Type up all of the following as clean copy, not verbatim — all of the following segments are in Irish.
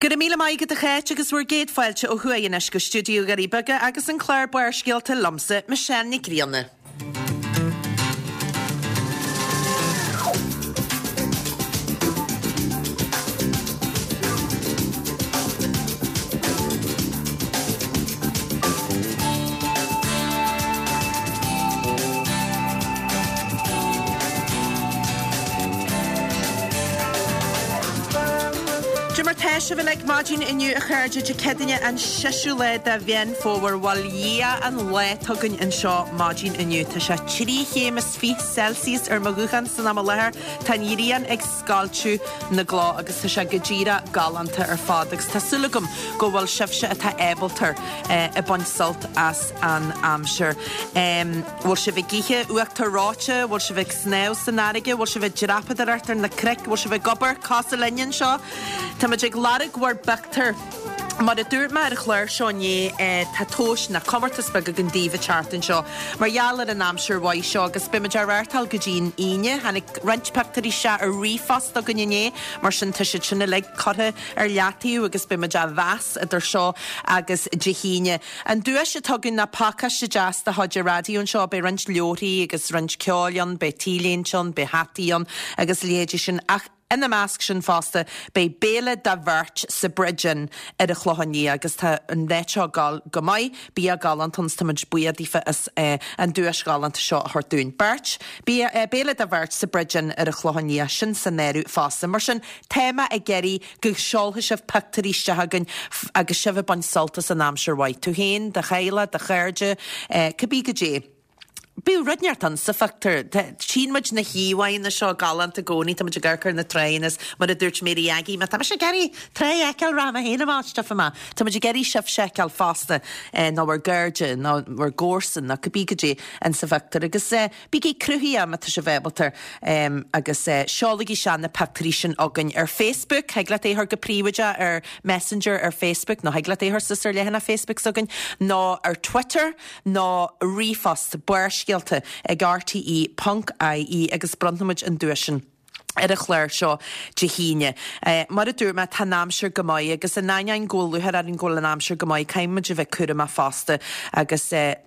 Go raibh míle maith agat a Cháit agus bhur gcéad fáilte ó thuaidh anois go stiúideo Dhoirí Beaga agus an clár Barrscéalta liomsa, Michelle Nic Grianna. Cad é mar tá sibh uilig maidin inniu a chairde Dé Céadaoine an seisiú lá de Mheán Fómhair bhail a Dhia an lá atá againn anseo maidin inniu. Tá sé 3 chéim is 20 Celsius ar mo ghuthán san am i láthair. Tá an ghrian ag scoilteadh na gcloch agus tá sé go díreach galánta ar fad agus tá súil agam go bhfuil sibhse atá ábalta ag baint sult as an aimsir. Bhfuil sibh ag ithe uachtar reoite? Bhfuil sibh ag snámh san fharraige? Bhfuil sibh ag dreapadóireacht ar na cnoic? Bhfuil sibh ag obair cosúil linne anseo? Táimid ag lorg bhur bpictiúr. Mar a dúirt mé ar an chlár seo inné, tá tomhais nó comórtas beag againn daoibh an tseachtain seo mar gheall ar an aimsir mhaith seo agus beimid á reáchtáil go dtí an Aoine. Tháinig roinnt pictiúirí isteach ar ríomhphost chugainn inné, mar sin tá siad sin uilig curtha ar leataobh agus beimid á mheas idir seo agus Dé hAoine. An duais atá againn ná pacáiste deas de chuid an raidió anseo. Beidh roinnt leabharthaí agus roinnt ceoil ann, beidh t-léinte ann, beidh hataí ann agus a leithéidí sin. Ach ina measc sin fosta beidh béile do bheirt sa Bridge Inn ar an Chlochán Liath agus tá an áit seo ag gabháil go maith, bia galánta ann 's táimid buíoch daofa as an duais ghalánta seo a thabhairt dúinn. Beirt, bia, béile do bheirt sa Bridge Inn ar an Chlochán Liath, sin san áireamh fosta. Mar sin, tá mé ag iarraidh go seolfaidh sibh pictiúirí isteach chugainn agus sibh ag baint sult as an aimsir mhaith. Tú féin, do theaghlach, do chairde, cibé goidé. Bíodh rud inteacht ann sa phictiúr. Tchíonn muid na híomhánna seo galánta i gcónaí, tá muid ag amharc ar na tráigheanna is mar a dúirt Mary Aggie, má tá mise ag iarraidh trá a fheiceáil rachaidh mé féin amach isteach amach. Tá muid ag iarraidh sibhse a fheiceáil fosta, nó bhur gcairde, nó bhur gcomharsain, nó cibé goidé insa phictiúr. Agus Bígí cruthaitheach má tá sibh ábalta agus seolaigí isteach na pictiúirí sin chugainn ar Facebook. Thig leat é a chur go príobháideach ar Messenger ar Facebook nó thig leat é a chur suas ar leathanach Facebook s'againn nó ar Twitter nó ríomhphost, barrscéalta ag rte ponc ie agus bronnfaimid an duais sin. ar an chlár seo Dé hAoine. Mar a dúirt mé, tá an aimsir go maith agus in ainneoin go bhfuil lúcháir orainn go bhfuil an aimsir go maith, caithfidh muid a bheith cúramach fosta agus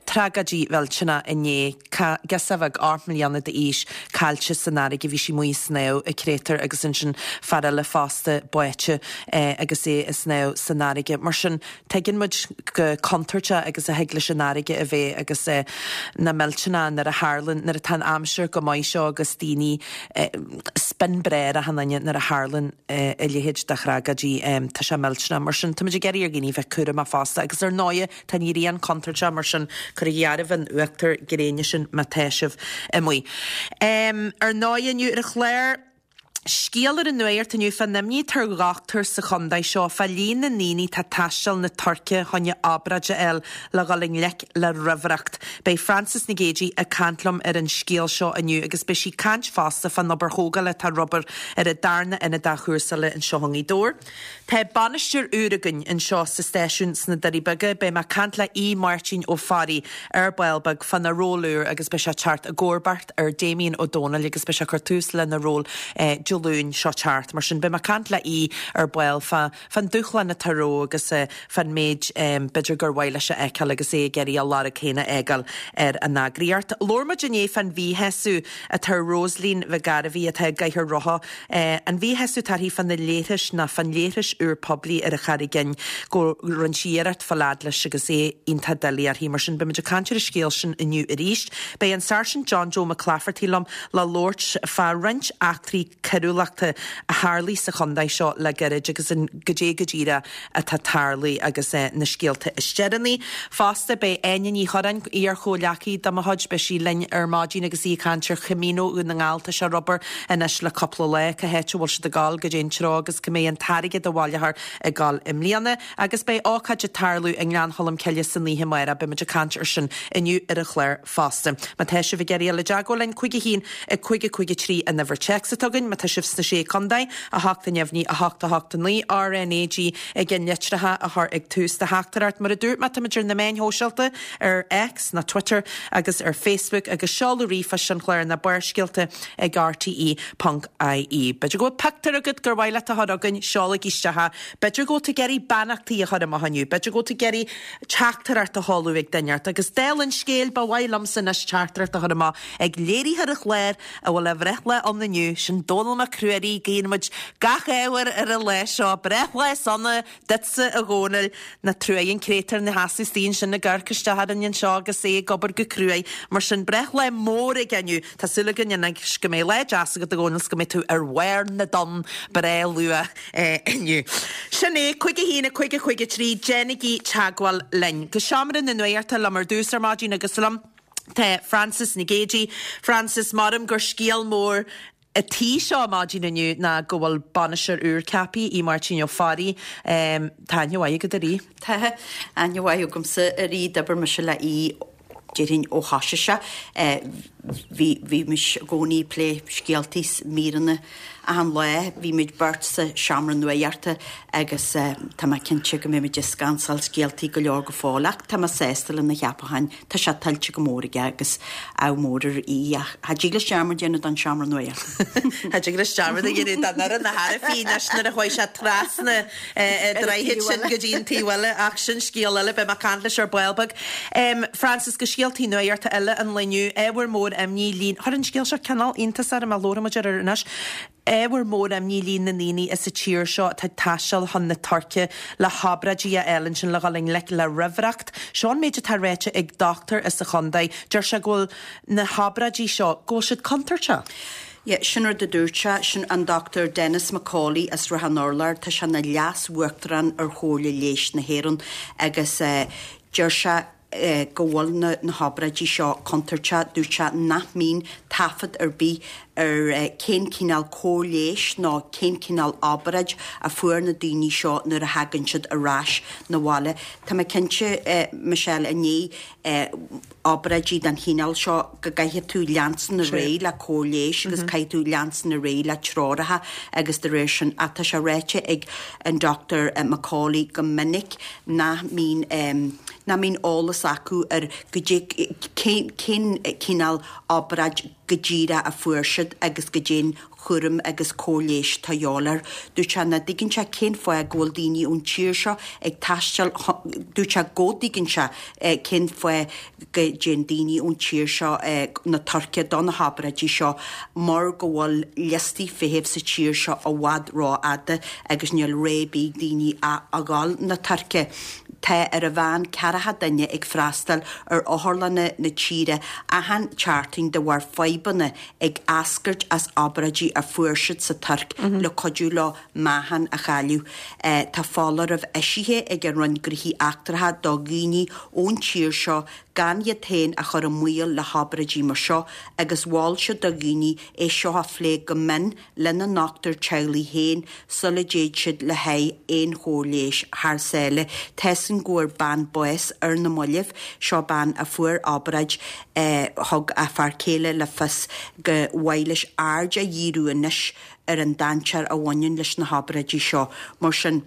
tragóidí mhillteanach inné, girseach bheag 8 mbliana d'aois caillte san fharraige, bhí sí amuigh ag snámh i créatúr agus ansin fear eile fosta báite agus é ag snámh san fharraige. Mar sin, Tuigeann muid chomh contúirteach agus a thig leis an fharraige a bheith agus na millteanach nuair a tharlann, nuair atá an aimsir go maith seo agus daoine spin breá ar achan duine nuair a tharlann a leithéid de thragóidí, tá sé millteanach. Mar sin, táimid ag iarraidh ar dhaoine bheith cúramach fosta agus ar ndóighe tá an ghrian contúirteach mar sin cuirigí áireamh an uachtar gréine sin má tá sibh amuigh. Ar ndóighe inniu ar an chlár, Scéal ar an nuacht inniu fán imní atá ar dhochtúir sa chontae seo fá líon na ndaoine atá ag taisteal na Tuirce choinne obráid a fháil le dhul i ngleic le raimhreacht. Beidh Frances Nic Géadaigh ag caint liom ar an scéal seo inniu agus beidh sí ag caint fosta fán obair thógála atá ar obair ar an darna ionad athchúrsála anseo i ngaoth Dobhair. Tá bainisteoir úr againn anseo sa stáisiún sna Doirí Beaga. Beidh mé ag caint le Aodh Máirtín Ó Fearraigh ar ball beag fána ról úr agus beidh sé ag teacht i gcomharbacht ar Damien Ó Dónaill agus beidh sé ag cur tús lena ról Dé Luain seo teacht. Mar sin beidh mé ag caint le Aodh ar ball fá fán dúshlán atá rompu agus fán méid b'fhéidir gur mhaith leis a fheiceáil agus é ag iarraidh a lorg féin a fhágáil ar an eagraíocht. Labhair muid inné fán mhíshásamh atá ar Rosaleen Mhic Gairbhí atá i gcathaoir rotha An mhíshásamh atá uirthi fá na leithris nó fán leithreas úr poiblí ar an Charraig Fhinn go rinne sí iarracht fáil fhad leis agus é iontach doiligh uirthi. Mar sin beimid ag caint ar an scéal sin inniu arís. Beidh an Sáirsint John Joe Mac Laifeartaigh liom le labhairt fá roinnt eachtraí coiriúlachta a tharlaigh sa chontae seo le gairid agus an goidé go díreach atá tarlaithe agus na scéalta is deireanaí. Fosta, beidh Áine Ní Churráin, iar-chomhghleacaí de mo chuid, beidh sí linn ar maidin agus í ag caint ar Chamino Dhún na nGall. Tá sé ar obair anois le cúpla lá. Cá háit a bhfuil siad ag gabháil, goidé an treo agus cá mbeidh an t-airgead a bhaileofar ag gabháil i mbliana. Agus beidh ócáid ag tarlú i nGleann Cholm Cille san oíche amárach. Beidh muid ag caint ar sin inniu ar an chlár fosta. Má tá sibh ag iarraidh dul i dteagmháil linn, 5 1 5 5 3 an uimhir téacs atá againn. Má tá. sibh sna Sé Contae, 8 neamhní, 8 8 9, RnaG i gceannlitreacha a chur ag tús do theachtaireacht. Mar a dúirt mé, táimid ar na meáin shóisialta, ar X nó Twitter agus ar Facebook agus seoladh ríomhphoist an chláir ná Barrscéalta ag rte ponc ie. B'fhéidir go bhfuil pictiúr agat gur mhaith leat a chur chugainn, seolaigí isteach é. B'fhéidir go bhfuil tú ag iarraidh beannachtaí a chur amach inniu, b'fhéidir go bhfuil tú ag iarraidh teachtaireacht a sheoladh ag duine inteacht. Agus dála an scéil, ba mhaith liomsa anois teachtaireacht a chur amach ag léiritheoir an chláir a bhfuil a bhreithlá ann inniu, sin Dónal Mac Ruairí, guíonn muid gach ádh air ar an lá seo. Breithlá sona duitse a Dhónaill. Nach truaigh an créatúr ina sheasamh istigh ansin ag amharc isteach orainn anseo agus é ag obair go cruaidh. Mar sin, breithlá mór aige inniu. Tá súil againn anois go mbeidh lá deas agat a Dhónaill 's go mbeidh tú ar bharr na dtonn breá luath inniu. Sin é, 5 1 5 5 3, déanaigí teagmháil linn. Go seomra na nuachta liom ar dtús ar maidin agus liom tá Frances Nic Géadaigh. Frances, maram gur scéal mór an tí seo maidin inniu ná go bhfuil bainisteoir úr ceaptha, Aodh Máirtín Ó Fearraigh. Tá aithne mhaith agat ar Aodh. Tá aithne mhaith agamsa ar Aodh, d'oibir mise le Aodh déarfainn ó thosaigh sé. Bhí, bhímis i gcónaí ag plé scéaltaí 's míreanna achan lá. Bhí muid beirt sa seomra nuachta agus tá mé cinnte go mbeidh muid ag scansáil scéaltaí go leor go fóill ach tá mé sásta lena cheapachán. Tá sé tuillte go mór aige agus ádh mór ar Aodh ach cha dtig leis dearmad a dhéanamh don seomra nuachta. Cha dtig leis dearmad a dhéanamh don fhoireann a thairbhí anois nuair a chuaigh sé trasna an droichead sin go dtí an taobh eile ach sin scéal eile, beidh mé ag caint leis ar ball beag. Frances, go scéaltaí nuachta eile an lae inniu, ábhar mór imní líon, chuir an scéal seo cineál iontas orm ach labhróidh muid air anois. Ábhar mór imní líon na ndaoine sa tír seo atá ag taisteal chun na Tuirce le hobráidí a fháil ansin le dhul i ngleic le raimhreacht. Seo an méid atá ráite ag dochtúir as an chontae. Deir sé go bhfuil na hobráidí seo, go bhfuil siad contúirteach. Yeah, sin rud a dúirt sé, sin an Dr Denis McCauley as Ráth an Urláir, tá sé ina leas-uachtarán ar Chomhairle Leighis na hÉireann agus deir sé go bhfuil na hobráidí seo contúirteach. Dúirt sé nach mbíonn taifead ar bith ar cén cineál cóir leighis nó cén cineál obráid a fuair na daoine seo nuair a thagann siad ar ais 'na bhaile. Tá mé cinnte, Michelle, i ndiaidh obráidí den chineál seo go gcaithfidh tú leanstan ar aghaidh le cóir leighis agus caithfidh tú leanstan ar aghaidh le treoracha agus de réir sin ach tá sé ráite ag an Dr McCauley go minic nach mbíonn nach mbíonn eolas acu ar goidé cén cén cineál obráid go díreach a fuair siad agus goidé'n chúram agus cóir leighis atá a dhíobháil air. Dúirt sé nach dtuigeann sé cén fáth go bhfuil daoine ón tír seo ag taisteal dúirt sé go dtuigeann sé cén fáth go dtéann daoine ón tír seo na Tuirce do na hobráidí seo mar go bhfuil liostaí feithimh sa tír seo i bhfad rófhada agus níl rogha ar bith ag daoine ach a dhul na Tuirce. Tá ar a mheán ceathracha duine ag freastal ar otharlanna na tíre achan tseachtain de bharr fadhbanna ag eascairt as obráidí a fuair siad sa Tuirc le cuidiú leo meáchan a chailleadh. Tá foláireamh eisithe ag an Roinn Gnóthaí Eachtracha do dhaoine ón tír seo gan iad féin a chur i mbaol le hobráidí mar seo agus mhol siad do dhaoine é seo a phlé go mion lena ndochtúir teaghlaigh féin sula dtéid siad le haghaidh aon chóir leighis thar sáile. Tá's againn go bhfuair bean bás ar na mallaibh. Seo bean a fuair obráid. Thug a fear céile le fios go mhaith leis aird a dhíriú anois ar an dainséar a bhaineann leis na hobráidí seo. Mar sin.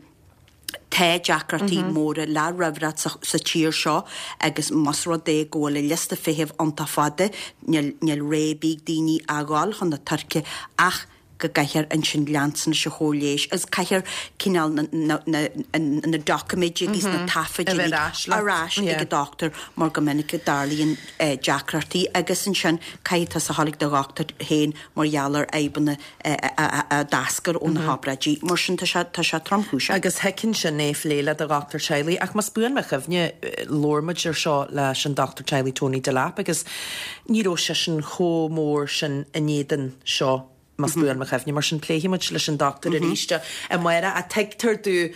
Tá deacrachtaí móra le raimhreacht sa tír seo agus más rud é go bhfuil an liosta feithimh iontach fada, níl rogha ar bith ag daoine a dhul chun na Tuirce ach go gcaithfear ansin leanstan leis an chóir leighis agus caithfear cineál na doiciméid agus na taifid uilig ar ais ag an dochtúir mar go minic go dtarlaíonn deacrachtaí agus ansin caithfidh tusa a dhul ag do dhochtúir féin mar gheall ar fhadhbanna a d'eascair ó na hobráidí. Mar sin, tá sé, tá sé tromchúiseach. Agus thiocfainn sin é a phlé le do dhochtúir teaghlaigh. Ach más buan mo chuimhne, labhair muid ar seo leis an dochtúir teaghlaigh Tony Delap agus ní raibh seisean chomh mór sin in éadan seo, más buan mo chuimhne. Mar sin, pléifidh muid leis an dochtúir arís amárach. Ach tuigtear domh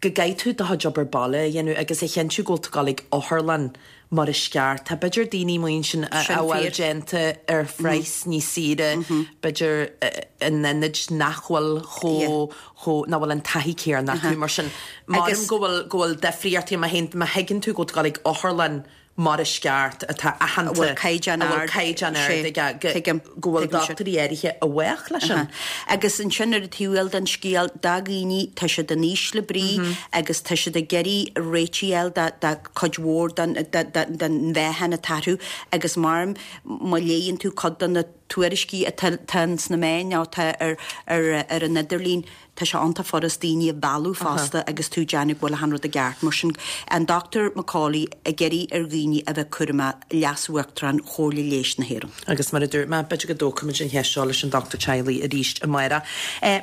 go gcaithfidh tú do chuid obair baile a dhéanamh agus a chinntiú go bhfuil tú ag dul ag otharlann mar is ceart. Tá b'fhéidir daoine amuigh ansin a bhfuil déanta ar phraghas níos saoire, b'fhéidir in ionaid nach bhfuil chomh, chomh, nach bhfuil an taithí céanna acu. Mar sin, maram go bhfuil, go bhfuil difríochtaí má théann, má thuigeann tú go bhfuil tú ag dul ag otharlann. mar is ceart, atá aitheanta, a bhfuil caighdeán a bhfuil caighdeán ard aige, go bhfuil dochtúirí áirithe i bhfách leis sin. Agus ansin ar an taobh eile den scéal, do dhaoine, tá siad in ísle brí agus tá siad ag iarraidh réitigh a fháil do chuid mhór den mheáchan atá orthu agus mar má léigheann tú cuid de na tuairiscí atá sna meáin nó atá ar an idirlíon, Tá sé iontach furast daoine a mhealladh fosta agus tú ag déanamh go bhfuil achan rud i gceart. Mar sin, an Dr McAuley ag iarraidh ar dhaoine a bheith cúramach, Leas-Uachtarán Chomhairle Leighis na hÉireann. Agus mar a dúirt mé, b'fhéidir go dtógfaimid an cheist seo leis an dochtúir teaghlaigh arís amárach.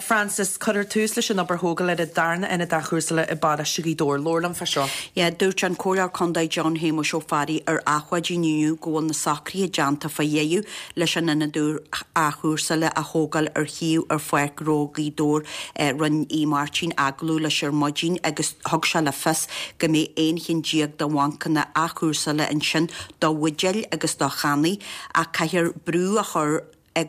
Frances, cuirfear tús leis an obair thógála ar an darna ionad athchúrsála i bparóiste Ghaoth Dobhair. Labhair liom fá seo. Yeah, dúirt an Comhairleoir Contae John Shéamuis Ó Fearraigh ar Adhmhaidin inniu go bhfuil na socruithe déanta fá dheireadh leis an ionad úr athchúrsála a thógáil ar shuíomh ar Pháirc Ghnó Ghaoth Dobhair. Rinne Aodh Máirtín agallamh leis ar maidin agus thug sé le fios go mbeidh 11 cheann de bhancanna athchúrsála ansin do bhuidéil agus do channaí ach caithfear brú a chur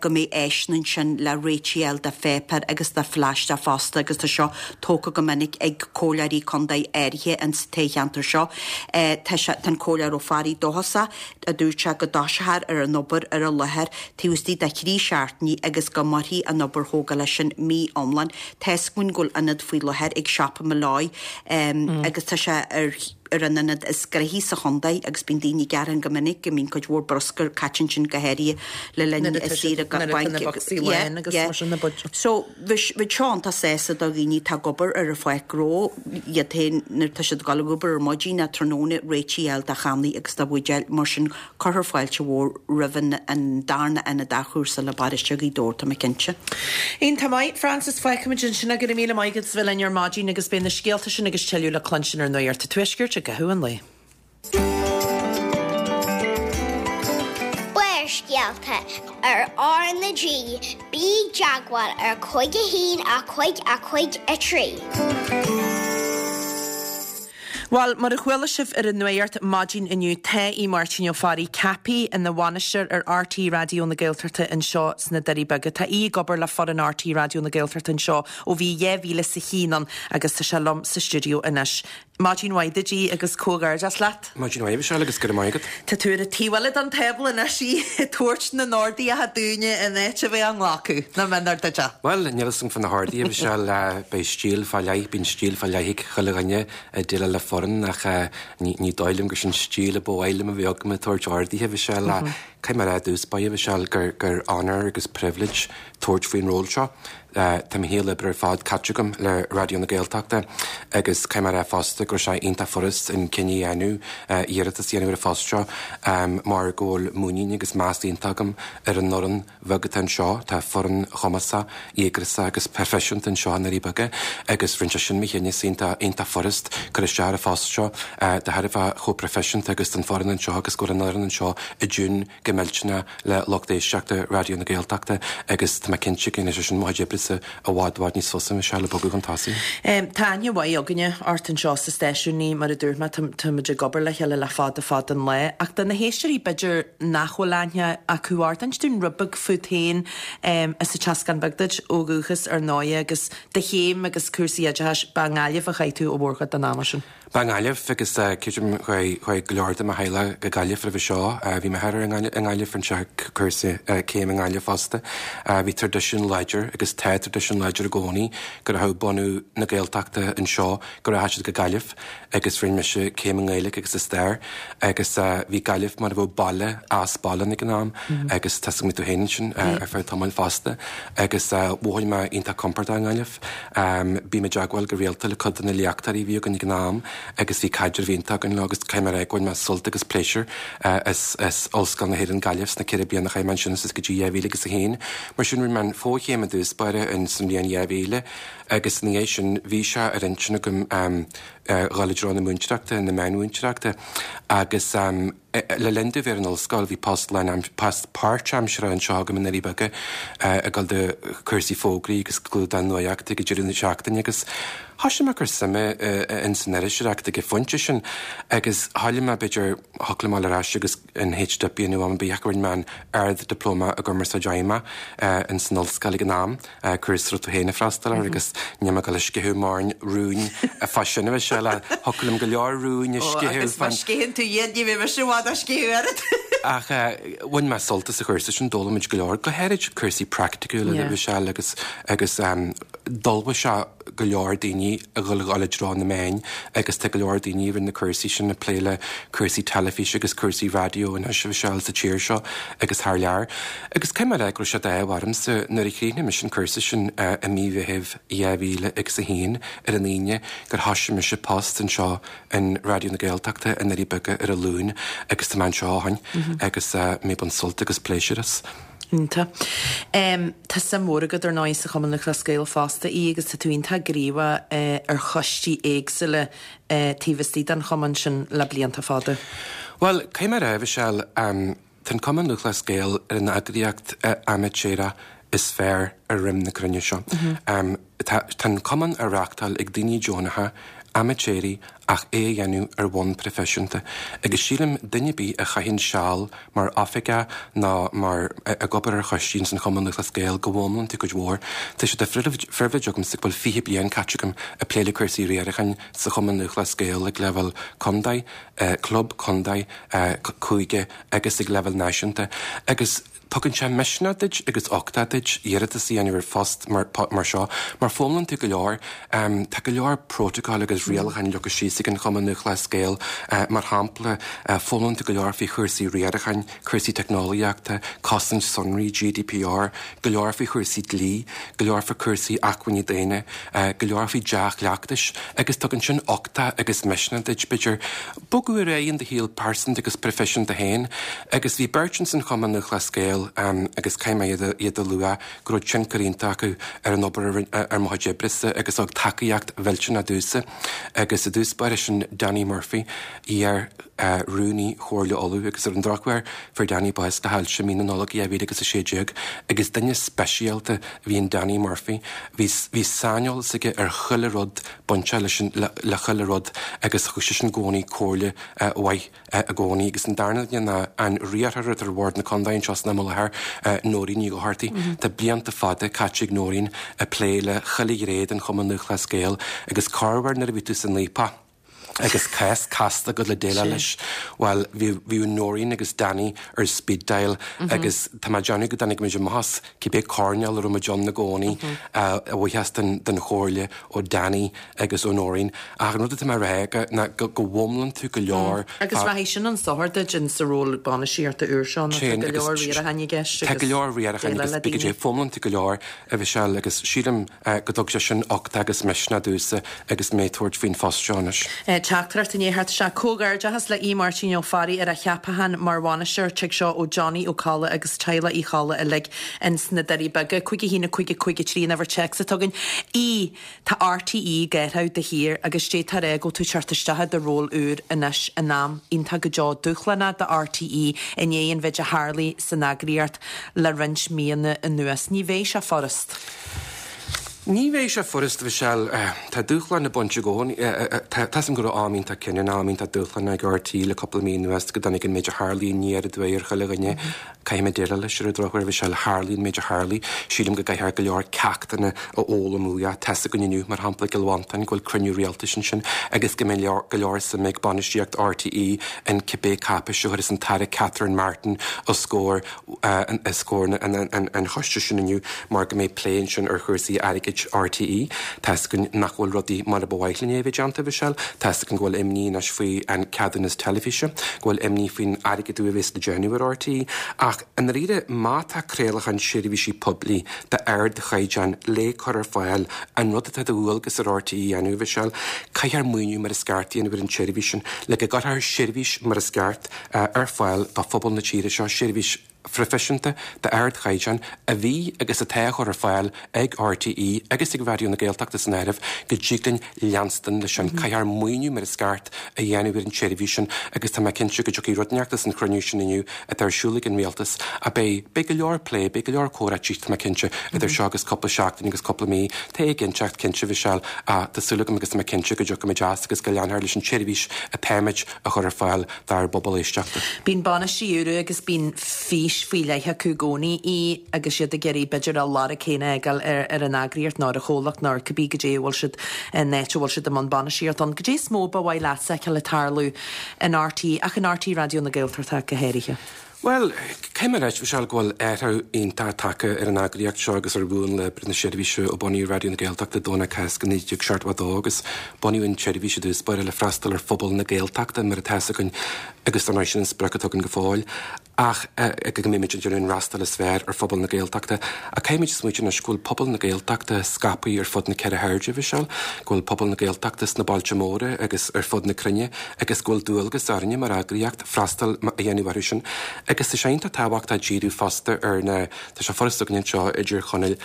go mbeidh áiseanna ansin le réitigh a fháil do pháipéar agus do phlaisteach fosta agus tá seo tógtha go minic ag comhairleoirí contae áirithe ins an toghcheantar seo. Tá sé, tá an Comhairleoir Ó Fearraigh dóchasach a dúirt sé go dtoiseofar ar an obair ar an láthair taobh istigh de thrí seachtainí agus go mairfidh an obair thógála sin mí iomlán. Tá's againn go bhfuil ionad faoi láthair ag Siopa Molloy agus tá sé ar ar an ionad is gnoithí sa chontae agus bíonn daoine ag gearán go minic go mbíonn cuid mhór bruscair caite ansin go háirithe le linn saoire bainc agus yeah yeah so Bheadh seo iontach sásta do dhaoine atá ag obair ar an pháirc ghnó, iad féin nuair atá siad ag dul ag obair ar maidin nó tráthnóna, réitigh a fháil do channaí agus do bhuidéil, mar sin cuirfear fáilte mhór roimh an darna ionad athchúrsála i bparóiste Ghaoth Dobhair, tá mé cinnte. Iontach maith, Frances, fágfaimid ansin é, go raibh míle maith agat as bheith linn ar maidin agus beidh na scéalta sin agus tuilleadh le cluinstin ar Nuacht an Tuaiscirt i gcaitheamh an lae. Barrscéalta ar R na G, bí i dteagmháil ar 5 1 5 5 3. Bhuel, mar a chuala sibh ar an Nuacht maidin inniu, tá Aodh Máirtín Ó Fearraigh ceaptha ina bhainisteoir ar RTÉ Raidió na Gaeltachta anseo sna Doirí Beaga. Tá Aodh ag obair le foireann RTÉ Raidió na Gaeltachta anseo ó bhí 2001 ann agus tá sé liom sa stiúideo anois. Maidin mhaith duit, a Aoidh, agus comhghairdeas leat. Maidin mhaith, a Mhichelle, agus go raibh maith agat. Tá tú ar an taobh eile den tábla anois, a Aoidh, ag tabhairt na n-orduithe dúinne in áit a bheith á nglacadh. Nach mb'in duit é? Bhuel, níl fhios agam fá na horduithe, a Mhichelle. Beidh stíl fá leith, bíonn stíl fá leith ag chuile dhuine ag déileáil le foireann ach ní dóigh liom gur sin stíl a ba mhaith liom a bheith agam ag tabhairt orduithe, a Mhichelle. Caithfidh mé a rá i dtús báire, a Mhichelle, gur honor agus privilege tabhairt faoin ról seo. Tá mo shaol oibre ar fad caite agam le Raidió na Gaeltachta agus caithfidh mé a rá fosta go raibh sé iontach furast an cinneadh a dhéanamh iarratas a dhéanamh ar an phost seo mar go bhfuil muinín agus meas iontach agam ar an fhoireann bheag atá anseo. Tá foireann chumasach, dhíograiseach agus proifisiúnta anseo i nDoirí Beaga agus rinne sé sin mo chinneadh iontach iontach furast cur isteach ar an phost seo de thairbhe chomh proifisiúnta agus tá an foireann anseo agus go bhfuil an fhoireann anseo i dtiún go millteanach le lucht éisteachta Raidió na Gaeltachta agus tá mé cinnte go ndéanfaidh sé sin mo chuid oibrese i bhfad i bhfad níos fusa, Michelle, ag bogadh chun tosaigh. Tá aithne mhaith againne ort anseo sa stáisiún, mar a dúirt mé, tá muid ag obair le chéile le fada fada an lá. Ach do na héisteoirí b'fhéidir nach bhfuil aithne acu ort, inis dúinn rud beag fút féin, as an Teascán Beag duit ó dhúchas ar ndóighe agus do chéim agus cúrsaí oideachais, ba i nGaillimh a chaith tú an mhórchuid den ama sin. Ba i nGaillimh agus creidim chuaigh go leor de mo theaghlach go Gaillimh roimhe seo. Bhí m'athair i nGaillimh, rinne sé cúrsa céim i nGaillimh fosta. Bhí traidisiún láidir agus tá traidisiún láidir i gcónaí go rachadh bunadh na Gaeltachta anseo, go rachadh siad go Gaillimh agus rinne mise céim i nGaeilge agus i stair agus bhí Gaillimh mar a bheadh baile as baile ag an am agus tá 'fhios agam go raibh tú féin ansin ar feadh tamaill fosta agus mhothaigh mé iontach compordach i nGaillimh. Bím i dteagmháil go rialta le cuid de na léachtóirí a bhí againn ag an am agus bhí caidreamh iontach againn leo agus caithfidh mé a rá gur bhain mé sult agus pléisiúr as Ollscoil na hÉireann Gaillimh sna ceithre bliana a chaith mé ansin suas go dtí 2000 agus a haon. Mar sin rinne mé an fochéim i dtús báire in san bhliain 2000 agus ina dhiaidh sin bhí sé ar intinn agam dhul i dtreo na múinteoireachta, na meánmhúinteoireachta agus Le linn domh bheith ar an ollscoil bhí post post páirtaimseartha anseo agam i nDoirí Beaga ag dul do chúrsaí fógraí agus clúdach nuachta ag deireadh na seachtaine agus thoisigh mé ag cur suime ins an iriseoireacht ag an phointe sin agus thoiligh mé b'fhéidir thiocfadh liom a dhul ar ais agus an HDip a dhéanamh am ar bith ach rinne mé an Ard-Dioplóma i gCumarsáid Fheidhmeach ins an ollscoil ag an am. cúrsa a raibh tú féin ag freastal air agus níl mé ag dul ag sceitheadh mórán rúin fá sin a Mhichelle. Mhichelle, ach thiocfadh liom go leor rúin a sceitheadh. Agus má sceitheann tú iad, ní bheidh mise i bhfad á sceitheadh oiread. Ach bhain mé sult as an chúrsa sin, d'fhoghlaim muid go leor, go háirid cúrsaí praiticiúla, a Mhichelle, agus agus d'ullmhaigh sé go leor daoine a dhul dhul i dtreo na meáin agus tá go leor daoine a rinne na cúrsaí sin ag plé le cúrsaí teilifíse agus cúrsaí raidió anois, a Mhichelle, sa tír seo agus thar lear. Agus caithfidh mé a rá go raibh sé d'ádh ormsa nuair a chríochnaigh mise an cúrsa sin i mí Mheithimh 2001 ar an Aoine gur thoisigh mise post anseo in Raidió na Gaeltachta i nDoirí Beaga ar an Luan agus tá mé anseo ó shin agus mé ag baint sult agus pléisiúr as. Iontach. Tá suim mhór agat, ar ndóigh, sa Chumann Lúthchleas Gael fosta, Aodh, agus tá tú iontach gníomhach ar choistí éagsúla taobh istigh den chumann sin le blianta fada. Bhuel, caithfidh mé a rá, a Mhichelle, tá an Cumann Lúthchleas Gael ar an eagraíocht amaitéarach is fearr ar dhroim na cruinne seo. Tá an cumann á reáchtáil ag daoine deonacha, amaitéaraigh, ach é a dhéanamh ar bhonn proifisiúnta. Agus sílim, duine ar bith a chaitheann seal mar oifigeach nó mar ag obair ar choistí ins an Chumann Lúthchleas Gael go bhfoghlaimíonn tú cuid mhór. Tá sé de phribhléid agamsa go bhfuil 20 bliain caite agam ag plé le cúrsaí riaracháin sa Chumann Lúthchleas Gael ag leibhéal contae, club, contae, cúige agus ag leibhéal náisiúnta. Agus tugann sé misneach duit agus uchtach duit iarratas a dhéanamh ar phost mar seo mar foghlaimíonn tú go leor. Tá go leor prótacail agus rialacháin leagtha síos ag an Chumann Lúthchleas Gael. Mar shampla, foghlaimíonn tú go leor faoi chúrsaí riaracháin, cúrsaí teicneolaíochta, cosaint sonraí, GDPR, go leor faoi chúrsaí dlí, go leor faoi chúrsaí acmhainní daonna, go leor faoi dea-chleachtais agus tugann sin uchtach agus misneach duit, b'fhéidir, bogadh ar aghaidh in do shaol pearsanta agus proifisiúnta féin. Agus bhí beirt ins an Chumann Lúthchleas Gael agus caithfidh mé iad a lua, go raibh tionchar iontach acu ar an obair ar mo chuid oibrese agus thug tacaíocht mhillteanach domhsa. Agus i dtús báire sin Danny Murphy, iar Rúnaí Chomhairle Uladh agus ar an drochuair fuair Danny bás le hailse mí na Nollag 2016 agus duine speisialta a bhí in Danny Murphy. Bhí bhí saineolas aige ar chuile rud bainteach leis an le chuile rud agus thug seisean i gcónaí comhairle mhaith i gcónaí. Agus an darna duine ná an riarthóir atá ar Bhord na Contae anseo san am i láthair, Nóirín Ní Dhochartaigh. Tá blianta fada caite ag Nóirín ag plé le chuile ghné den Chumann Lúthchleas Gael agus corruair nuair a bhí tú san fhaopach, agus cás casta agat le déileáil leis, bhuel, bhí, bhíodh Nóirín agus Danny ar speed dial agus tá mé ag déanamh go dtáinig muid amach as cibé coirnéal a raibh muid ann i gcónaí, a bhuíochas den, den chomhairle ó Danny agus ó Nóirín. Ach an rud atá mé a rá ná go, go bhfoghlaimíonn tú go leor Agus rachaidh sin chun sochair duit in sa ról bainistíochta úr seo nó tá go leor riaracháin i gceist agus Tá go leor riaracháin agus déileáil le daoine. Foghlaimíonn tú go leor, a Mhichelle, agus sílim, go dtug sé sin uchtach agus misneach domhsa agus mé ag tabhairt faoin phost seo anois. Teachtaireacht i ndiaidh theacht isteach. Comhghairdeachas le Aodh Máirtín Ó Fearraigh ar a cheapachán mar bhainisteoir. Tig seo ó Johnny Ó Colla agus teaghlach Uí Cholla uilig ins na Doirí Beaga. 5 1 5 5 3 an uimhir téacs atá againn. Aodh, Tá RTÉ ag athrú de shíor agus d'fhéadfá a rá go bhfuil tú ag teacht isteach i do ról úr anois in am iontach go deo dúshlánach do RTÉ i ndiaidh an mhéid a tharlaigh san eagraíocht le roinnt míonna anuas. Ní bheidh sé furast. Ní bheidh sé furast, a Mhichelle. Tá dúshláin ag baint i gcónaí. Tá a fhios agam go raibh am iontach cinniúnach, am iontach dúshlánach ag RTÉ le cúpla mí anuas go dtáinig an méid a tharlaigh aniar aduaidh ar chuile dhuine. Caithfidh mé déileáil leis ar an drochuair, a Mhichelle. Tharlaigh an méid a tharlaigh. Sílim go gcaithfear go leor ceachtanna a fhoghlaim uaidh. Tá a fhios againn inniu, mar shampla, i gCill Mhantáin, go bhfuil cruinniú rialtais ansin agus go mbeidh go leor suime ag bainistíocht RTÉ in cibé cáipéis a chuirfeas an tAire Catherine Martin os comhair os comhair an choiste sin inniu mar go mbeidh plé ansin ar chúrsaí airgid RTÉ. Tá a fhios againn nach bhfuil rudaí mar a ba mhaith linn é a bheith déanta, a Mhichelle. Tá a fhios againn go bhfuil imní anois faoi an ceadúnas teilifíse, go bhfuil imní faoin airgeadú a bhéas le déanamh ar RTÉ. Ach i ndáiríre, má tá craolachán seirbhísí poiblí d'ardchaighdeán le cur ar fáil, an rud atá de dhualgas ar RTÉ a dhéanamh, a Mhichelle, caithfear maoiniú mar is ceart a dhéanamh ar an tseirbhís sin le go gcuirfear seirbhís mar is ceart ar fáil do phobal na tíre seo, seirbhís phroifisiúnta d'ardchaighdeán a bhí agus atá á chur ar fáil ag RTÉ agus ag Raidió na Gaeltachta san áireamh, go dtig linn leanstan leis sin. Caithfear maoiniú mar is ceart a dhéanamh ar an tseirbhís sin agus tá mé cinnte go dtiocfaidh rud inteacht as an chruinniú sin inniu atá ar siúl ag an Rialtas ach beidh, beidh go leor plé, beidh go leor comhráití, tá mé cinnte, idir seo agus cúpla seachtain agus cúpla mí. Tá éiginnteacht cinnte, a Mhichelle, ach tá súil agam agus tá mé cinnte go dtiocfaimid as agus go leanfar leis an tseirbhís atáimid a chur ar fáil dár bpobal éisteachta. Bíonn bainisteoirí úra agus bíonn fís. fís faoi leith acu i gcónaí í agus iad ag iarraidh b'fhéidir a lorg féin a fhágáil ar an eagraíocht nó ar an chomhlacht nó ar cibé goidé a bhfuil siad, an áit a bhfuil siad i mbun bainistíocht ann. Goidé is mó ba mhaith leatsa a fheiceáil ag tarlú in RTÉ ach in RTÉ Raidió na Gaeltachta go háirithe? Bhuel, caithfidh mé a ráit, Michelle, go bhfuil athrú iontach tagtha ar an eagraíocht seo agus ar mhúnla oibre na seirbhíse ó bunaíodh Raidió na Gaeltachta Domhnach Cásca 1972 agus bunaíodh an tseirbhís i dtús báire le freastal ar phobal na Gaeltachta mar atá 'fhios againn agus dar ndóigh sin an sprioc atá againn go fóill ach go mbeimid ag déanamh an fhreastal is fearr ar phobal na Gaeltachta. Ach caithfimid smaoitiú anois go bhfuil pobal na Gaeltachta scaipthe ar fud na ceithre hairde, a Mhichelle, go bhfuil pobal na Gaeltachta sna bailte móra agus ar fud na cruinne agus go bhfuil dualgas orainne mar eagraíocht freastal a dhéanamh orthu sin. Agus tá sé iontach tábhachtach díriú fosta ar na, tá sé furasta againn anseo i dTír Chonaill,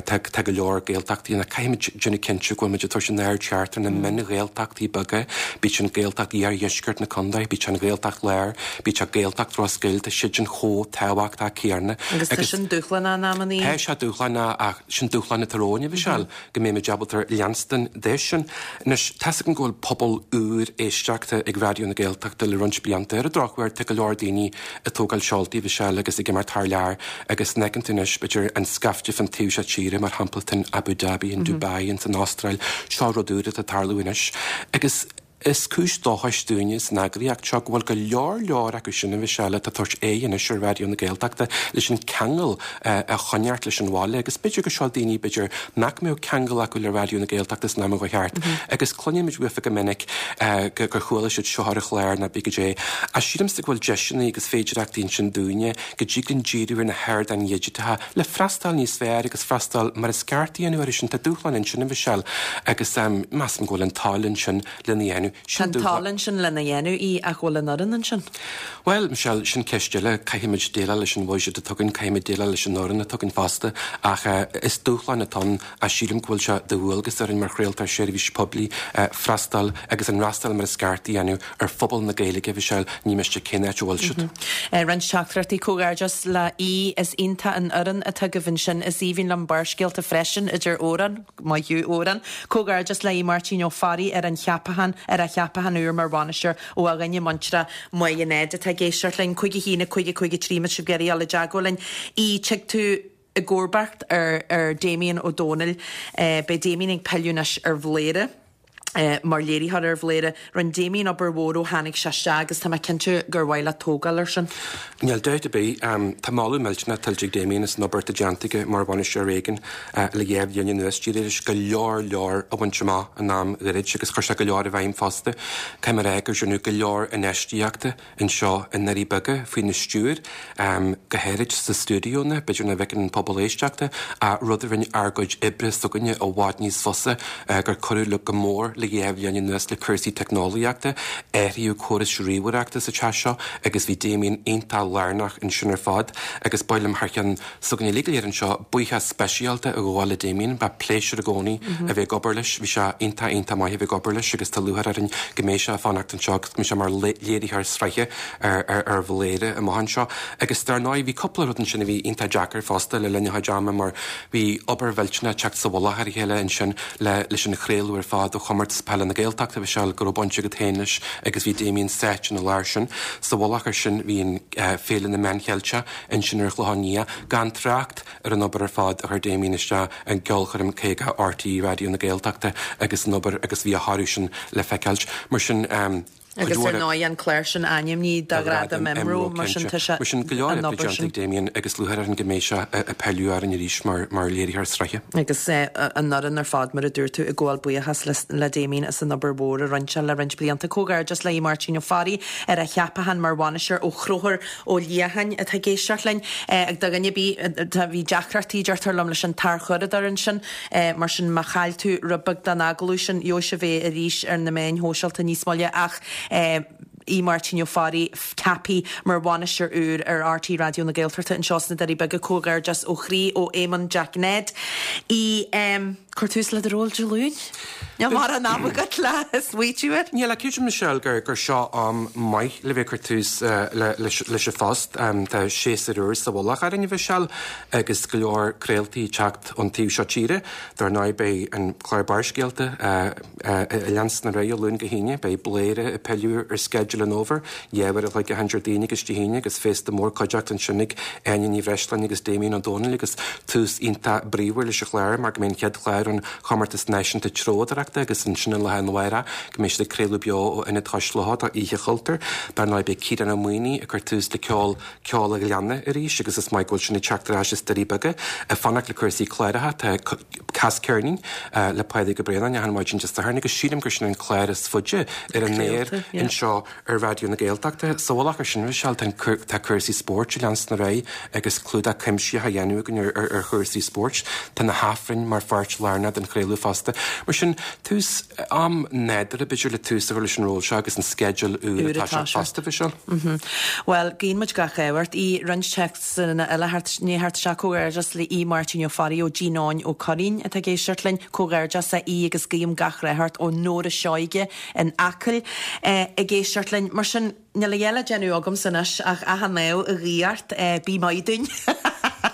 tá, tá go leor Gaeltachtaí ann ach caithfimid déanamh cinnte go bhfuil muid ag tabhairt an aird cheart ar na mion-Ghaeltachtaí beaga, bíodh sin Gaeltacht iardheisceart na contae, bíodh sé an Ghaeltacht Láir, bíodh sé Gaeltacht Ros Goill, tá siad sin chomh tábhachtach céanna. Agus tá sin dúshlánach in amannaí. Tá sé dúshlánach ach sin dúshlán atá romhainn, a Mhichelle. go mbeimid ábalta leanstan de sin. Anois, tá's againn go bhfuil pobal úr éisteachta ag Raidió na Gaeltachta le roinnt blianta. Ar an drochuair, tá go leor daoine ag tógáil seoltaí, a Mhichelle, agus ag imeacht thar lear agus an bhfeiceann tú anois, b'fhéidir, an scaifte fán taobh seo tíre, mar shampla, in Abu Dhabi, in Dubai, ins an Astráil, seo rud úr atá ag tarlú anois. Agus. Is cúis dóchais dúinne san eagraíocht seo go bhfuil go leor leor acu sin, a Mhichelle, atá ag tabhairt aghaidh anois ar Raidió na Gaeltachta leis an ceangal a choinneáilt leis an bhaile agus b'fhéidir go seo daoine b'fhéidir nach mbeadh ceangal acu le Raidió na Gaeltachta san am a chuaigh thart agus cluinimid uafa go minic gur chuala siad seo ar an chlár nó cibé goidé. Ach sílimse go bhfuil deiseanna agus féidireachtaí ansin dúinne go dtig linn díriú ar na hardáin dhigiteacha le freastal níos fearr agus freastal mar is ceart a dhéanamh orthu sin. Tá dúshlán ansin, a Mhichelle, agus measaim go bhfuil an toil ansin lena dhéanamh. Tá an toil ansin lena dhéanamh í ach bhfuil an fhoireann ansin? Bhuel, Michelle, sin ceist eile. Caithfimid déileáil leis an bhuiséad atá againn, caithfimid déileáil leis an fhoireann atá againn fosta ach is dúshlán atá ann ach sílim go bhfuil sé de dhualgas orainn mar chraoltóir seirbhíse poiblí freastal agus an fhreastal mar is ceart a dhéanamh ar phobal na Gaeilge, a Mhichelle, ní miste cén áit a bhfuil siad. Roinnt teachtaireachtaí Comhghairdeas le Aodh, is iontach an fhoireann atá agaibh ansin. Is aoibhinn liom Barrscéalta freisin, a deir Odhrán. Maith thú, Odhrán. Comhghairdeas le Aodh Máirtín Ó Fearraigh ar an cheapachán, ar a cheapachán úr mar bhainisteoir ó a dhuine muinteartha Maigh Nuad atá ag éisteacht linn. 5 1 5 5 3 má tá sibh ag iarraidh dul i dteagmháil linn. Aodh, tig tú i gcomharbacht ar ar Damien Ó Dónaill. Beidh Damien ag pilleadh anois ar Bhléire. Mar léiritheoir ar Bhléire, rinne Damien obair mhór ó tháinig sé isteach agus tá mé cinnte gur mhaith leat tógáil air sin. Níl dabht ar bith. Tá moladh millteanach tuillte ag Damien as an obair atá déanta aige mar bhainisteoir ar éigean le dhá bhliain anuas. D'éirigh leis go leor leor a bhaint amach in am ghairid agus chuir sé go leor i bhfeidhm fosta. Caithfidh mé a rá gur rinneadh go leor infheistíochta anseo i nDoirí Beaga faoina stiúir, go háirid sna stiúideonna, b'fhéidir nach bhfeiceann an pobal éisteachta, ach rud a rinne ár gcuid oibre s'againne i bhfad níos fusa, gur cuireadh le go mór le dhá bhliain anuas le cúrsaí teicneolaíochta, athraíodh córais ríomhaireachta sa teach seo agus bhí Damien iontach lárnach ansin ar fad agus ba mhaith liom thar cheann s'againne uilig go léir anseo buíochas speisialta a ghabháil le Damien. Ba pléisiúr i gcónaí a bheith ag obair leis. Bhí sé iontach, iontach maith a bheith ag obair leis agus tá lúcháir orainn go mbeidh sé ag fanacht anseo agus go mbeidh sé mar léiritheoir sraithe ar Bhléire amach anseo. Agus dar ndóigh bhí cúpla rud ansin a bhí iontach deacair fosta le linn a chuid ama mar bhí obair mhillteanach ag teacht sa mhullach ar a chéile ansin le leis an chraoladh ar fad ó Chomórtas Peile na Gaeltachta, a Mhichelle, go raibh baint agat féin leis agus bhí Damien sáite ina lár sin. Sa mhullach air sin bhí an Féile na Meán Cheilteach ansin ar an Chlochán Liath, gan trácht ar an obair ar fad a chuir Damien isteach i gCeolchoirm 50 RTÉ Raidió na Gaeltachta agus an obair agus bhí a thoradh sin le feiceáilt. Mar sin, cuid Agus ar mhór. ndóigh an clár sin ainmnithe do Ghradam IMRO, mar sin tá sé Mar sin, go leor an oibre obair déanta sin. ag Damien agus lúcháir orainn go mbeidh sé ag pilleadh orainn arís mar mar léiritheoir sraithe. Agus an fhoireann ar fad, mar a dúirt tú, ag gabháil buíochas le le Damien as an obair mhór a rinne sé le roinnt blianta. Comhghairdeas le Aodh Máirtín Ó Fearraigh ar a cheapachán mar bhainisteoir ó Chonchúr Ó Liatháin atá ag éisteacht linn. Ag do dhuine ar bith, tá, bhí deacrachtaí, deirtear liom, leis an tarchuradóir ansin, mar sin má chaill tú rud beag den agallamh sin, gheobhaidh sibh é arís ar na meáin shóisialta níos moille ach Aodh Máirtín Ó Fearraigh ceaptha mar bhainisteoir úr ar RTÉ Raidió na Gaeltachta anseo sna Doirí Beaga. Comhghairdeas ó chroí ó Éamonn Jack Ned. Aodh. Cur tús le do ról Dé Luain? Níl mórán ama agat le smaoitiú air. Níl, ach creidim Michelle gur gur seo am maith le bheith ag cur tús leis an phost. Tá séasúr úr sa mhullach orainn, a Mhichelle, agus go leor craoltaí ag teacht ón taobh seo tíre. Dar ndóigh beidh an clár Barrscéalta ag leanstan ar aghaidh ó Luan go hAoine. Beidh Bladhaire ag pilleadh ar sceideal an fhómhair, 2 uair a chloig achan Déardaoin agus Dé hAoine agus féasta mór cuideachta ansin ag Áine Ní Bhreisleáin agus Damien Ó Dónaill agus tús iontach bríomhar leis an chlár mar go mbeidh an chéad chlár ón Chomórtas Náisiúnta Treabhdóireachta agus ansin an lá arna mhárach go mbeidh siad ag craoladh beo ó Ionad Chois Locha do Oíche Chultúir. Dar ndóigh beidh Ciarán Ó Maonaigh ag cur tús le ceol Ceol an Ghleanna arís agus is maith go bhfuil sin ag teacht ar ais as Doirí Beaga. Ag fanacht le cúrsaí cláracha tá Cas Ceirnín le Pádraig Ó Braonáin achan maidin Dé Sathairn agus sílim gur sin an clár is faide ar an aer anseo ar Raidió na Gaeltachta. Sa mhullach ar sin, Michelle, tá cúrsaí spóirt ag leanstan ar aghaidh agus clúdach cuimsitheach á dhéanamh againn ar chúrsaí spóirt. Tá na hAifrinn mar pháirt lárnach den chraoladh fosta. Mar sin, tús, am nádúrtha b'fhéidir le tús a chur leis an ról seo agus an sceideal úr ag toiseacht fosta, Michelle. Bhuel, guíonn muid gach ádh ort. Aodh, roinnt téacsanna eile i ndiaidh theacht isteach. Comhghairdeas le Aodh Máirtín Ó Fearraigh ó Dí Nóin Ó Curraoin atá ag éisteacht linn. Comhghairdeas a Aoidh agus guím gach rath ort ó Nóra Seoige in Acaill ag éisteacht linn. Mar sin, níl a dhath le déanamh agamsa anois ach achan ádh a ghuí ort. Bí maith dúinn.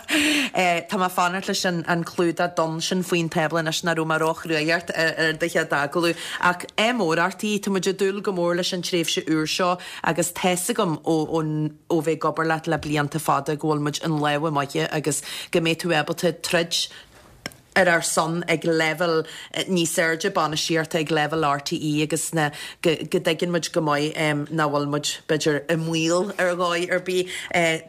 Tá mé ag fanacht leis an clúdach donn sin faoin tábla anois nach raibh mé róchruaidh ort ar do chéad agallamh. Ach ádh mór ort, Aodh. Tá muid ag dúil go mór leis an tréimhse úr seo agus tá's agam ó ó bheith ag obair leat le blianta fada go bhfuil muid in lámha maithe agus go mbeidh tú ábalta troid ar ár son ag leibhéal níos airde bainistíochta, ag leibhéal RTÉ agus na, go, go dtuigeann muid go maith nach bhfuil muid, b'fhéidir, i mbaol ar dhóigh ar bith.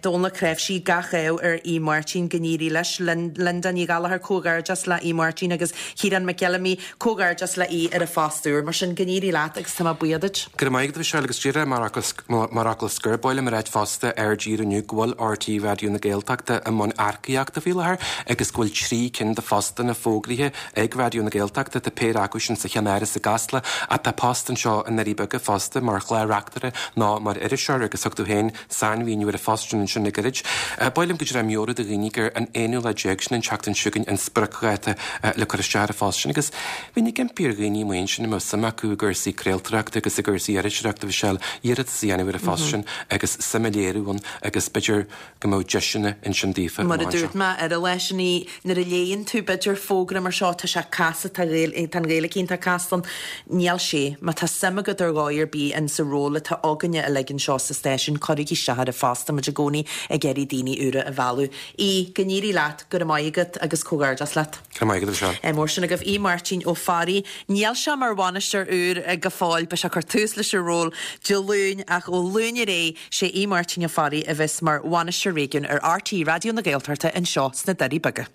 Dónal Ó Cnáimhsí, gach ádh ar Aodh Máirtín, go n-éirí leis. Linda Ní Ghallchóir, comhghairdeas le Aodh Máirtín agus Ciarán Mac Fheilimí, comhghairdeas le Aodh ar a phost úr. Mar sin, go n-éirí leat agus tá mé buíoch duit. Go raibh maith agat, a Mhichelle, agus díreach mar fhocal scoir, ba mhaith liom a ráit fosta ar dtír inniu go bhfuil RTÉ Raidió na Gaeltachta i mbun earcaíochta faoi láthair agus go bhfuil 3 cinn de phostanna fógraithe ag Raidió na Gaeltachta. Tá péire acu sin sa cheannáras i gCasla ach tá post anseo i nDoirí Beaga fosta mar chlár-reachtaire nó mar iriseoir agus thug tú féin sainmhíniú ar an phost sin ansin le gairid. Ba mhaith liom go díreach meabhrú do dhaoine gur an aonú lá déag, sin an tseachtain seo chugainn, an spriocdháta le cur isteach ar an phost sin agus bheinn ag impí ar dhaoine amuigh ansin a mbeadh suim acu i gcúrsaí craoltóireachta agus i gcúrsaí iriseoireachta, Mhichelle, iarratas a dhéanamh ar an phost sin agus suim a léiriú ann agus b'fhéidir go mbeadh deiseanna ansin daofa Mar a dúirt mé ar an lá sin í, nuair a léann tú b'fhéidir fógra mar seo, tá sé casta, tá tá an Ghaeilge iontach casta ann. Níl sé. Má tá suim agat ar dhóigh ar bith in sa ról atá againne uilig anseo sa stáisiún, cuirigí isteach ar an phost, tá muid i gcónaí ag iarraidh daoine úra a mhealladh. Aodh, go n-éirí leat, go raibh maith agat agus comhghairdeas leat. Go raibh maith agat, a Mhichelle. Ádh mór sin agaibh. Aodh Máirtín Ó Fearraigh. Níl sé mar bhainisteoir úr go fóill, beidh sé ag cur tús leis an ról Dé Luain ach ó Luan ar aghaidh, sé Aodh Máirtín Ó Fearraigh a bheas mar bhainisteoir réigiúin ar RTÉ Raidió na Gaeltachta anseo sna Doirí Beaga.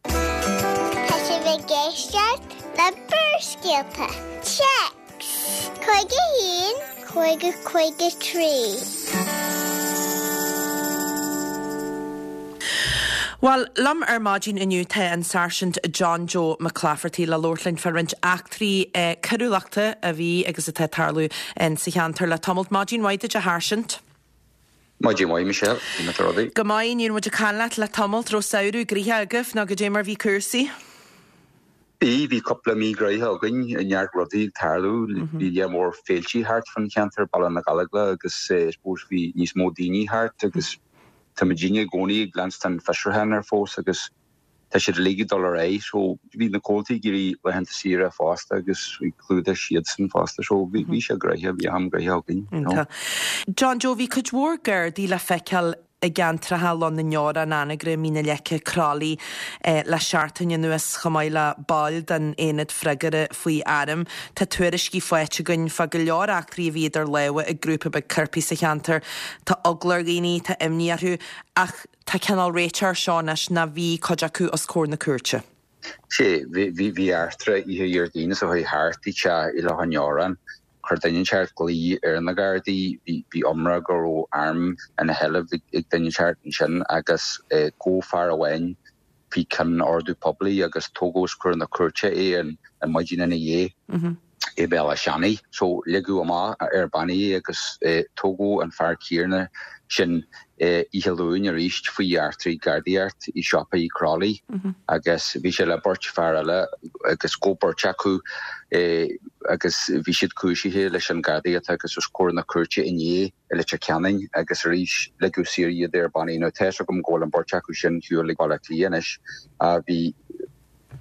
Tá sibh ag éisteacht le Barrscéalta. Téacs 51 50 53. Bhuel, liom ar maidin inniu tá an Sáirsint John Joe McClafferty le labhairt linn fá roinnt eachtraí coiriúlachta a bhí agus atá ag tarlú sa cheantar le tamalt. Maidin mhaith duit, a Sháirsint. Maidin mhaith, Michelle. Cén mar atá rudaí? Go maith, ní raibh muid ag caint leat le tamalt. Raibh samhradh gnoitheach agaibh nó goidé mar bhí cúrsaí? Bhí, bhí cúpla mí gnoitheach againn, neart rudaí ag tarlú. Bhí lear mór féiltí thart fán cheantar, Baile na Gallóglach agus I suppose bhí níos mó daoine thart agus tá muidinne i gcónaí ag leanstan fiosrúchán ar fós agus Tá siad uilig ag dul ar aghaidh so bhí na comhaltaí ag iarraidh laethanta saoire fosta agus bhí clúdach siadsan fosta so bhí bhí sé gnoitheach, bhí am gnoitheach againn, you know. John Joe, bhí cuid mhór Gardaí le feiceáil i gceantracha Loch na nDeorán, Anagaire, Mín na Leice, Croithlí le seachtain anuas chomh maith le baill den Aonad Freagartha faoi Airm. Tá tuairiscí faighte againn fá go leor eachtraí a bhí idir lámha ag grúpa beag coirpigh sa cheantar. Tá eagla ar dhaoine, tá imní orthu ach Tá cineál réiteach air seo anois nó bhí cuid acu os comhair na cúirte. Sea, bhí, bhí eachtra oíche Dhéardaoin seo chuaigh thart i dteach i Loch an Deoráin. Chuir duine inteacht glao ar na Gardaí, bhí, bhí iomrá go raibh arm ina sheilbh ag duine inteacht ansin agus gabhadh fear amháin faoi chionn ordú poiblí agus tógadh os comhair na cúirte é an maidin ina dhiaidh. I mBéal Átha Seanaidh. So ligeadh amach ar bannaí é agus tógadh an fear céanna sin oíche Luain arís faoi eachtraí gardaíocht i siopa i Crolly agus bhí sé le beirt fear eile agus gabhadh beirt acu agus bhí siad cúisithe leis an gardaíocht agus os comhair na cúirte inné i Leitir Ceanainn agus arís ligeadh saor iad ar bannaí. Now tá fhios agam go bhfuil an beirt acu sin ar shiúl ag Baile Átha Cliath anois. Bhí.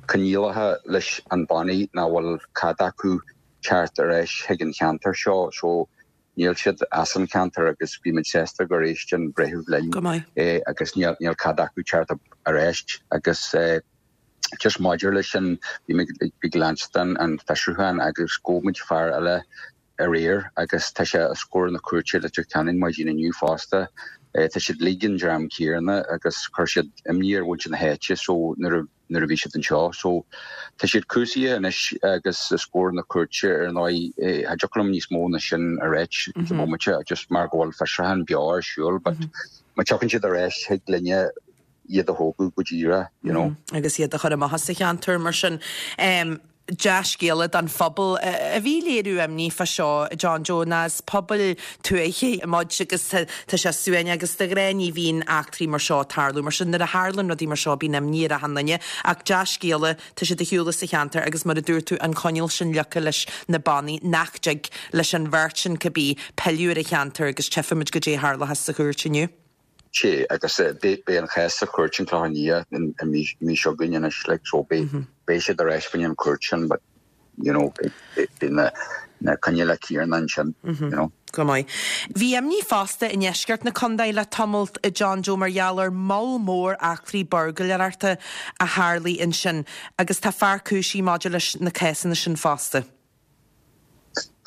coinníollacha leis an bannaí nach bhfuil cead acu teacht ar ais chuig an cheantar seo so níl siad as an cheantar agus bhí muid sásta gur éist an breitheamh linn Go maith. agus níl níl cead acu teacht ar ais agus just maidir leis sin bhí muid ag leanstan an fiosrúchán agus ghabh muid fear eile aréir agus tá sé os comhair na cúirte i Leitir Ceanainn maidin inniu fosta. Tá siad uilig an dream céanna agus chuir siad imní ar mhuintir na háite so nuair a nuair a bhí siad anseo. So tá siad cúisithe anois agus os comhair na cúirte ar ndóigh. Cha dtiocfadh liom níos mó ná sin a ráit sa bhomaite just mar go bhfuil fiosrúchán beo ar siúl but má tiocfaidh siad ar ais thig linne iad a thógadh go díreach, you know. Agus iad a chur amach as an cheantar mar sin. Dea-scéala don phobal a bhí ag léiriú imní fá seo, John Joe, ná is pobal tuaithe muid agus tá sé suaimhneach agus de ghnáth ní bhíonn eachtraí mar seo ag tarlú. Mar sin nuair a tharlann rudaí mar seo bíonn imní ar achan duine. Ach dea-scéala, tá siad ar shiúl as an cheantar agus mar a dúirt tú an coinníoll sin leagtha leis na bannaí nach dtig leis an bheirt sin cibé pilleadh ar an cheantar agus tchífimid goidé a tharlóchas sa chúirt inniu. Sea, agus beidh an chás sa chúirt an Clochán Liath an mhí seo chugainn anois, like, so beidh siad ar ais fá choinne an chúirt sin, but, you know, beidh na na coinníollacha céanna ansin, you know. Go maith. Bhí imní fosta i ndeisceart na contae le tamalt, a John Joe, mar gheall ar moll mór eachtraí buirgléireachta a tharlaigh ansin agus tá fear cúisithe maidir leis na cásanna sin fosta.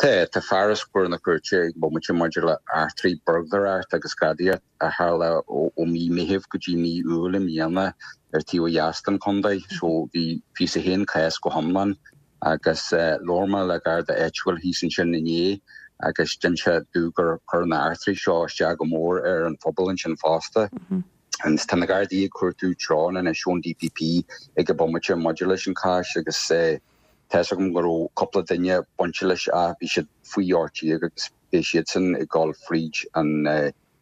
Tá, tá fear os comhair na cúirte ag an bomaite maidir le eachtraí buirgléireacht agus gadaíocht a tharla ó mí Meithimh go dtí mí Iúil i mbliana ar taobh ó dheas den chontae. So bhí 21 cás go hiomlán agus labhair mé le garda áitiúil thíos ansin inné agus d'inis sé domh gur chuir na heachtraí seo isteach go mór ar an phobal ansin fosta. Agus tá na Gardaí ag cuartú treoir anois ón DPP ag an bomaite maidir leis an chás agus Tá fhios agam go raibh cúpla duine bainte leis ach bhí siad faoi 18 agus beidh siadsan ag dul fríd an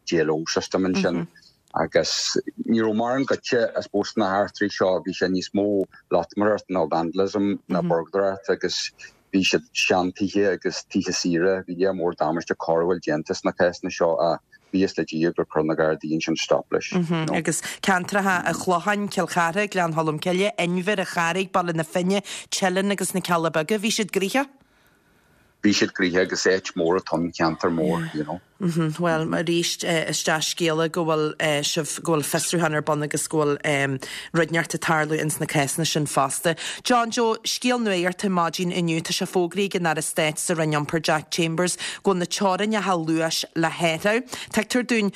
JLO system ansin agus ní raibh mórán goidte I suppose sna heachtraí seo, bhí sé níos mó loitmireacht nó vandalism ná burglaireacht agus bhí siad seantithe agus tithe saoire, bhí lear mór damáiste coiriúil déanta sna cásanna seo ach Buíochas le Dia gur chuir na Gardaí ansin stop leis. Agus ceantracha an Chlocháin, Cill Chartha, Gleann Cholm Cille, Inbhir, An Charraig, Baile na Finne, Teileann agus na Cealla Beaga, bhí siad gnoitheach. Bhí siad gnoitheach agus áit mór atá ann, ceantar mór, you know. Bhuel, arís, is dea-scéala go bhfuil sibh, go bhfuil fiosrúchán ar bun agus go bhfuil rud inteacht ag tarlú ins na cásanna sin fosta. John Joe, scéal nuachta maidin inniu, tá sé fógraithe ag an Aire Stáit sa Roinn Iompair Jack Chambers go bhfuil na teorainneacha luais le hathrú. Tuigtear dúinn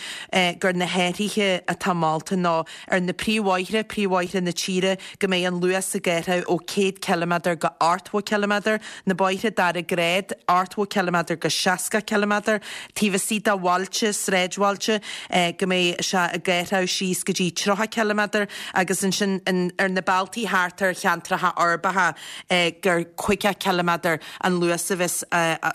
gur na hathruithe atá molta ná ar na príomhbhóithre, príomhbhóithre na tíre, go mbeidh an luas ag athrú ó 100 ciliméadar go 80 ciliméadar, na bóithre dara grád, 80 ciliméadar go 60 ciliméadar, taobh istigh de bhailte, sráidbhailte, go mbeidh sé ag athrú síos go dtí 30 ciliméadar agus ansin ar na bealtaí thart ar cheantracha uirbeacha gur 50 ciliméadar an luas a bheas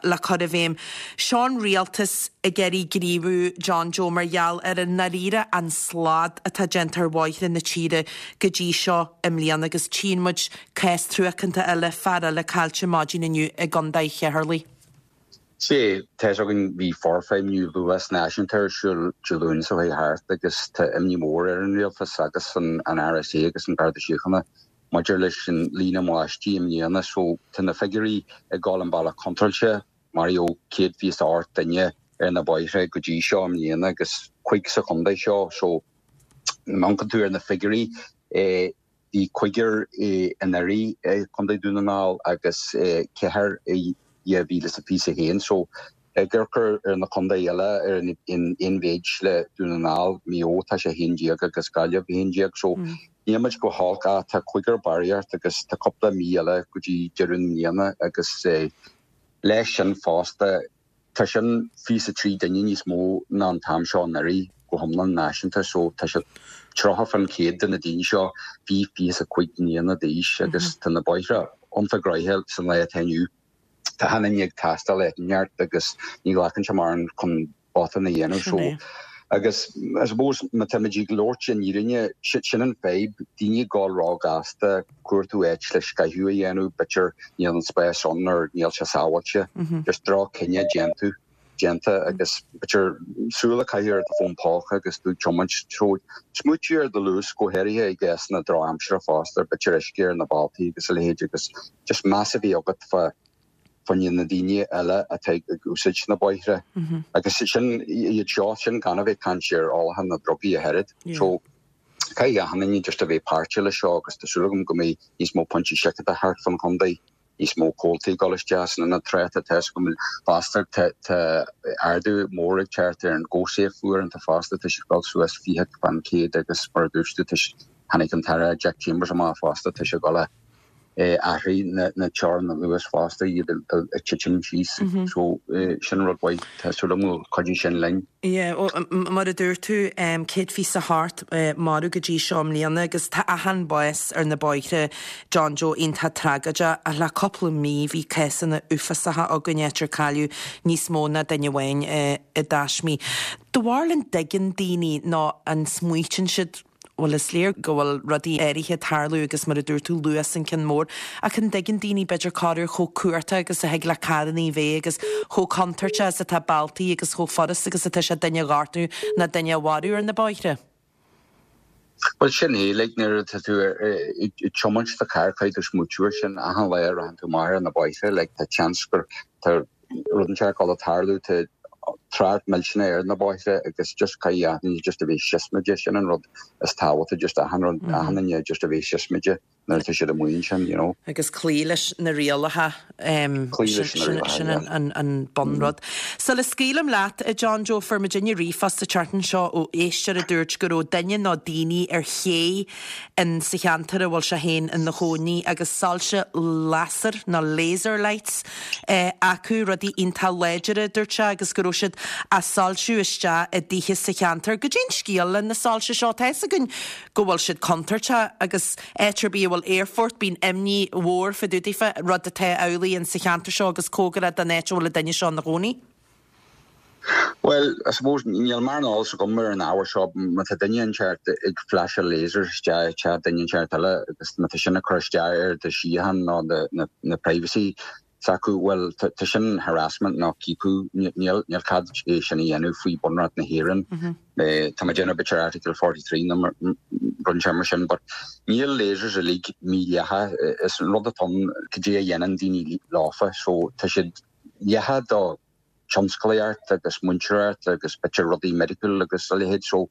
le cur i bhfeidhm. Seo an rialtas ag iarraidh gníomhú, John Joe, mar gheall ar i ndáiríre an slad atá déanta ar bhóithre na tíre go dtí seo i mbliana agus tchíonn muid cás truacánta eile, fear eile caillte maidin inniu i gContae Cheatharlaigh. Sea, tá fhios againn, bhí forfheidhmiú luas náisiúnta ar siúl Dé Luain seo chuaigh thart agus tá imní mhór ar an rialtas agus an RSA agus an Garda Síochána maidir leis an líon ambaistí i mbliana. So tá na figiúirí ag dul an bealach contráilte, maraíodh 128 duine ar na bóithre go dtí seo i mbliana agus cuig sa chontae seo. So má amharcann tú ar na figiúirí, Bhí cúigear anuraidh i gContae Dhún na nGall agus ceathrar i 2021. So ag amharc ar na contae eile ar an aon mhéid le Dún na nGall, Maigh Eo tá sé 11 agus Gaillimh 11. So níl muid go holc ach tá cúigear barraíocht agus tá cúpla mí eile go dtí deireadh na bliana agus leis sin fosta Tá sin 23 duine níos mó ná an t-am seo anuraidh go hiomlán náisiúnta so tá sé 30% de na daoine seo faoi 25 mbliana d'aois agus tá na bóithre iontach gnoitheach san lá atá inniu. Tá achan duine ag taisteal áit inteacht agus ní ghlacann sé mórán chun botún a dhéanamh. Sin é. So, agus I suppose má táimid ag labhairt an fhírinne, sin an fadhb, daoine ag gabháil ró-ghasta, cuartú áit le scaitheamh a dhéanamh, b'fhéidir níl an spás ann or níl sé sábháilte, just droch-chinneadh déanta, déanta agus b'fhéidir súil a chaitheamh ar do fón póca agus tú ag tiomáint. So, smaoitiú ar do luas, go háirithe i gcásanna drochaimsire fosta, b'fhéidir uisce ar na bealtaí agus a leithéid agus just meas a bheith agat fá choinne na daoine eile atá ag úsáid na bóithre. Agus sin iad seo, sin gan a bheith ag caint ar ólachán na drugaí ach oiread. So, caithfidh achan duine just a bheith páirteach le seo agus tá súil agam go mbeidh níos mó pointí seiceála thart fán chontae, níos mó comhaltaí ag dul isteach san ionad tráchta. Tá fhios agam fosta tá ardú mór ag teacht ar an gcobhsaíocht uaireanta fosta, tá siad ag dul suas 20% agus mar a dúirt tú, tháinig an tAire Jack Chambers amach fosta, tá sé ag dul a athraigh na teorainn luais fosta, iad ag titim síos. So sin rud mhaith. Tá súil agam go gcuideoidh sin linn. Yeah, mar a dúirt tú, 128 marbh go dtí seo i mbliana agus tá achan bás ar na bóithre, John Joe, iontach tragóideach ach le cúpla mí bhí cásanna uafásacha againn áit ar cailleadh níos mó ná duine amháin i dtaismí. Do bharúil an dtuigeann daoine nó an smaoitíonn siad Bhuel, is léir go bhfuil rudaí áirithe ag tarlú agus mar a dúirt tú, luas an ceann mór. Ach an dtuigeann daoine, b'fhéidir, corruair chomh cumhachtach agus a thig le carrannaí bheith agus chomh contúirteach is atá bealtaí agus chomh furast agus atá sé duine a ghortú ná duine a mharú ar na bóithre? Bhuel, sin é, like, nuair atá tú ag tiomáint do charr, caithfidh tú smaoitiú air sin achan lá a rachann tú amach ar na bóithre, like, tá seans gur, tá rud inteacht ag dul a tarlú, tá trácht millteanach ar na bóithre agus just caithfidh achan duine just a bheith siosmaideach, sin an rud is tábhachtaí, just achan rud, achan duine just a bheith siosmaideach nuair atá siad amuigh ansin, you know. Agus cloí leis na rialacha, Cloí leis na rialacha, sin yeah. an bunrud. Sula scaoilim leat, a John Joe, fuair muidinne ríomhphost an tseachtain seo ó éisteoir a dúirt go raibh duine nó daoine ar ché in sa cheantar a bhfuil sé féin ina chónaí agus soilse lasair nó laser lights acu, rudaí iontach láidire, a dúirt sé, agus go raibh siad á soilsiú isteach i dtithe sa cheantar. Goidé an scéal le na soilse seo? Tá fhios againn go bhfuil siad contúirteach agus áit ar bith a bhfuil aerfort, bíonn imní mhór fá dtaobh daofa, rud atá amhlaidh in sa cheantar seo agus cóngarach don áit a bhfuil an duine seo ina chónaí. Bhuel, I suppose, níl mórán eolas agam ar an ábhar seo. Má tá duine inteacht ag flasháil lasers isteach i teach duine inteacht eile agus má tá sin ag cur isteach ar do shíocháin nó na privacy s'acu, bhuel, tá sin harassment nó ciapadh. Níl cead é sin a dhéanamh faoi Bunreacht na hÉireann. Tá mé ag déanamh b'fhéidir Article 43 nó rud inteacht mar sin, but níl lasers uilig mídhleathach. Is an rud atá ann, cad é a dhéanann daoine leofa, so tá siad dleathach do tionsclaíocht agus múinteoireacht agus b'fhéidir rudaí medical agus a leithéid. So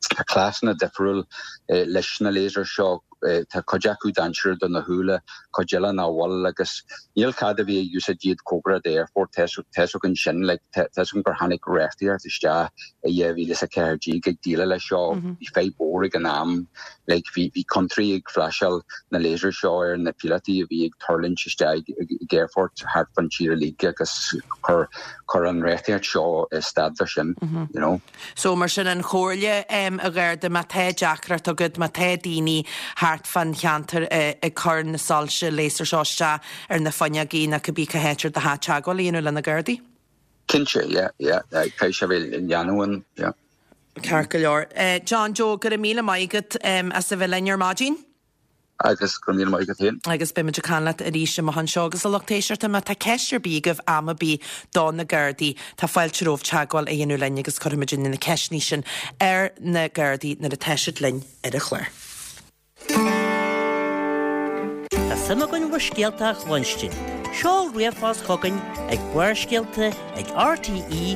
tá cleasanna difriúil leis na lasers seo. Tá cuid acu dainséarach do na húlla, cuid eile nach bhfuil agus níl cead a bheith ag úsáid iad cóngarach d'aerfort. Tá fhios againn sin. Like tá fhios agam gur tháinig reachtaíocht isteach i 2014 ag déileáil leis seo. Bhí fadhb mhór ag an am. Like bhí bhí contráí ag flasháil na lasers seo ar na píolótaí a bhí ag tuirlingt isteach ag aerfort thart fán tír uilig agus chuir chuir an reachtaíocht seo stad le sin, you know. So mar sin an chomhairle em a Gharda má tá deacracht agat, má tá daoine thart fán cheantar ag cur na soilse laser seo isteach ar na fuinneogaí nó cibé cá háit ar do theach teagmháil a dhéanamh le na Gardaí. Cinnte, yeah, yeah, caithfidh sé bheith leanúin, yeah. Ceart go leor. John Joe, go raibh míle maith agat as a bheith linn ar maidin. Agus go raibh míle maith agat féin. Agus beidh muid ag caint leat arís amach anseo. Agus a lucht éisteachta, má tá ceist ar bith agaibh am ar bith do na Gardaí, tá fáilte romhaibh teagmháil a dhéanamh linn agus cuirfidh muidinne na ceisteanna sin ar na Gardaí nuair atá siad linn ar an chlár. Tá suim againn bhur scéalta a chluinstin. Seol ríomhphost chugainn ag barrscéalta ag rte.ie.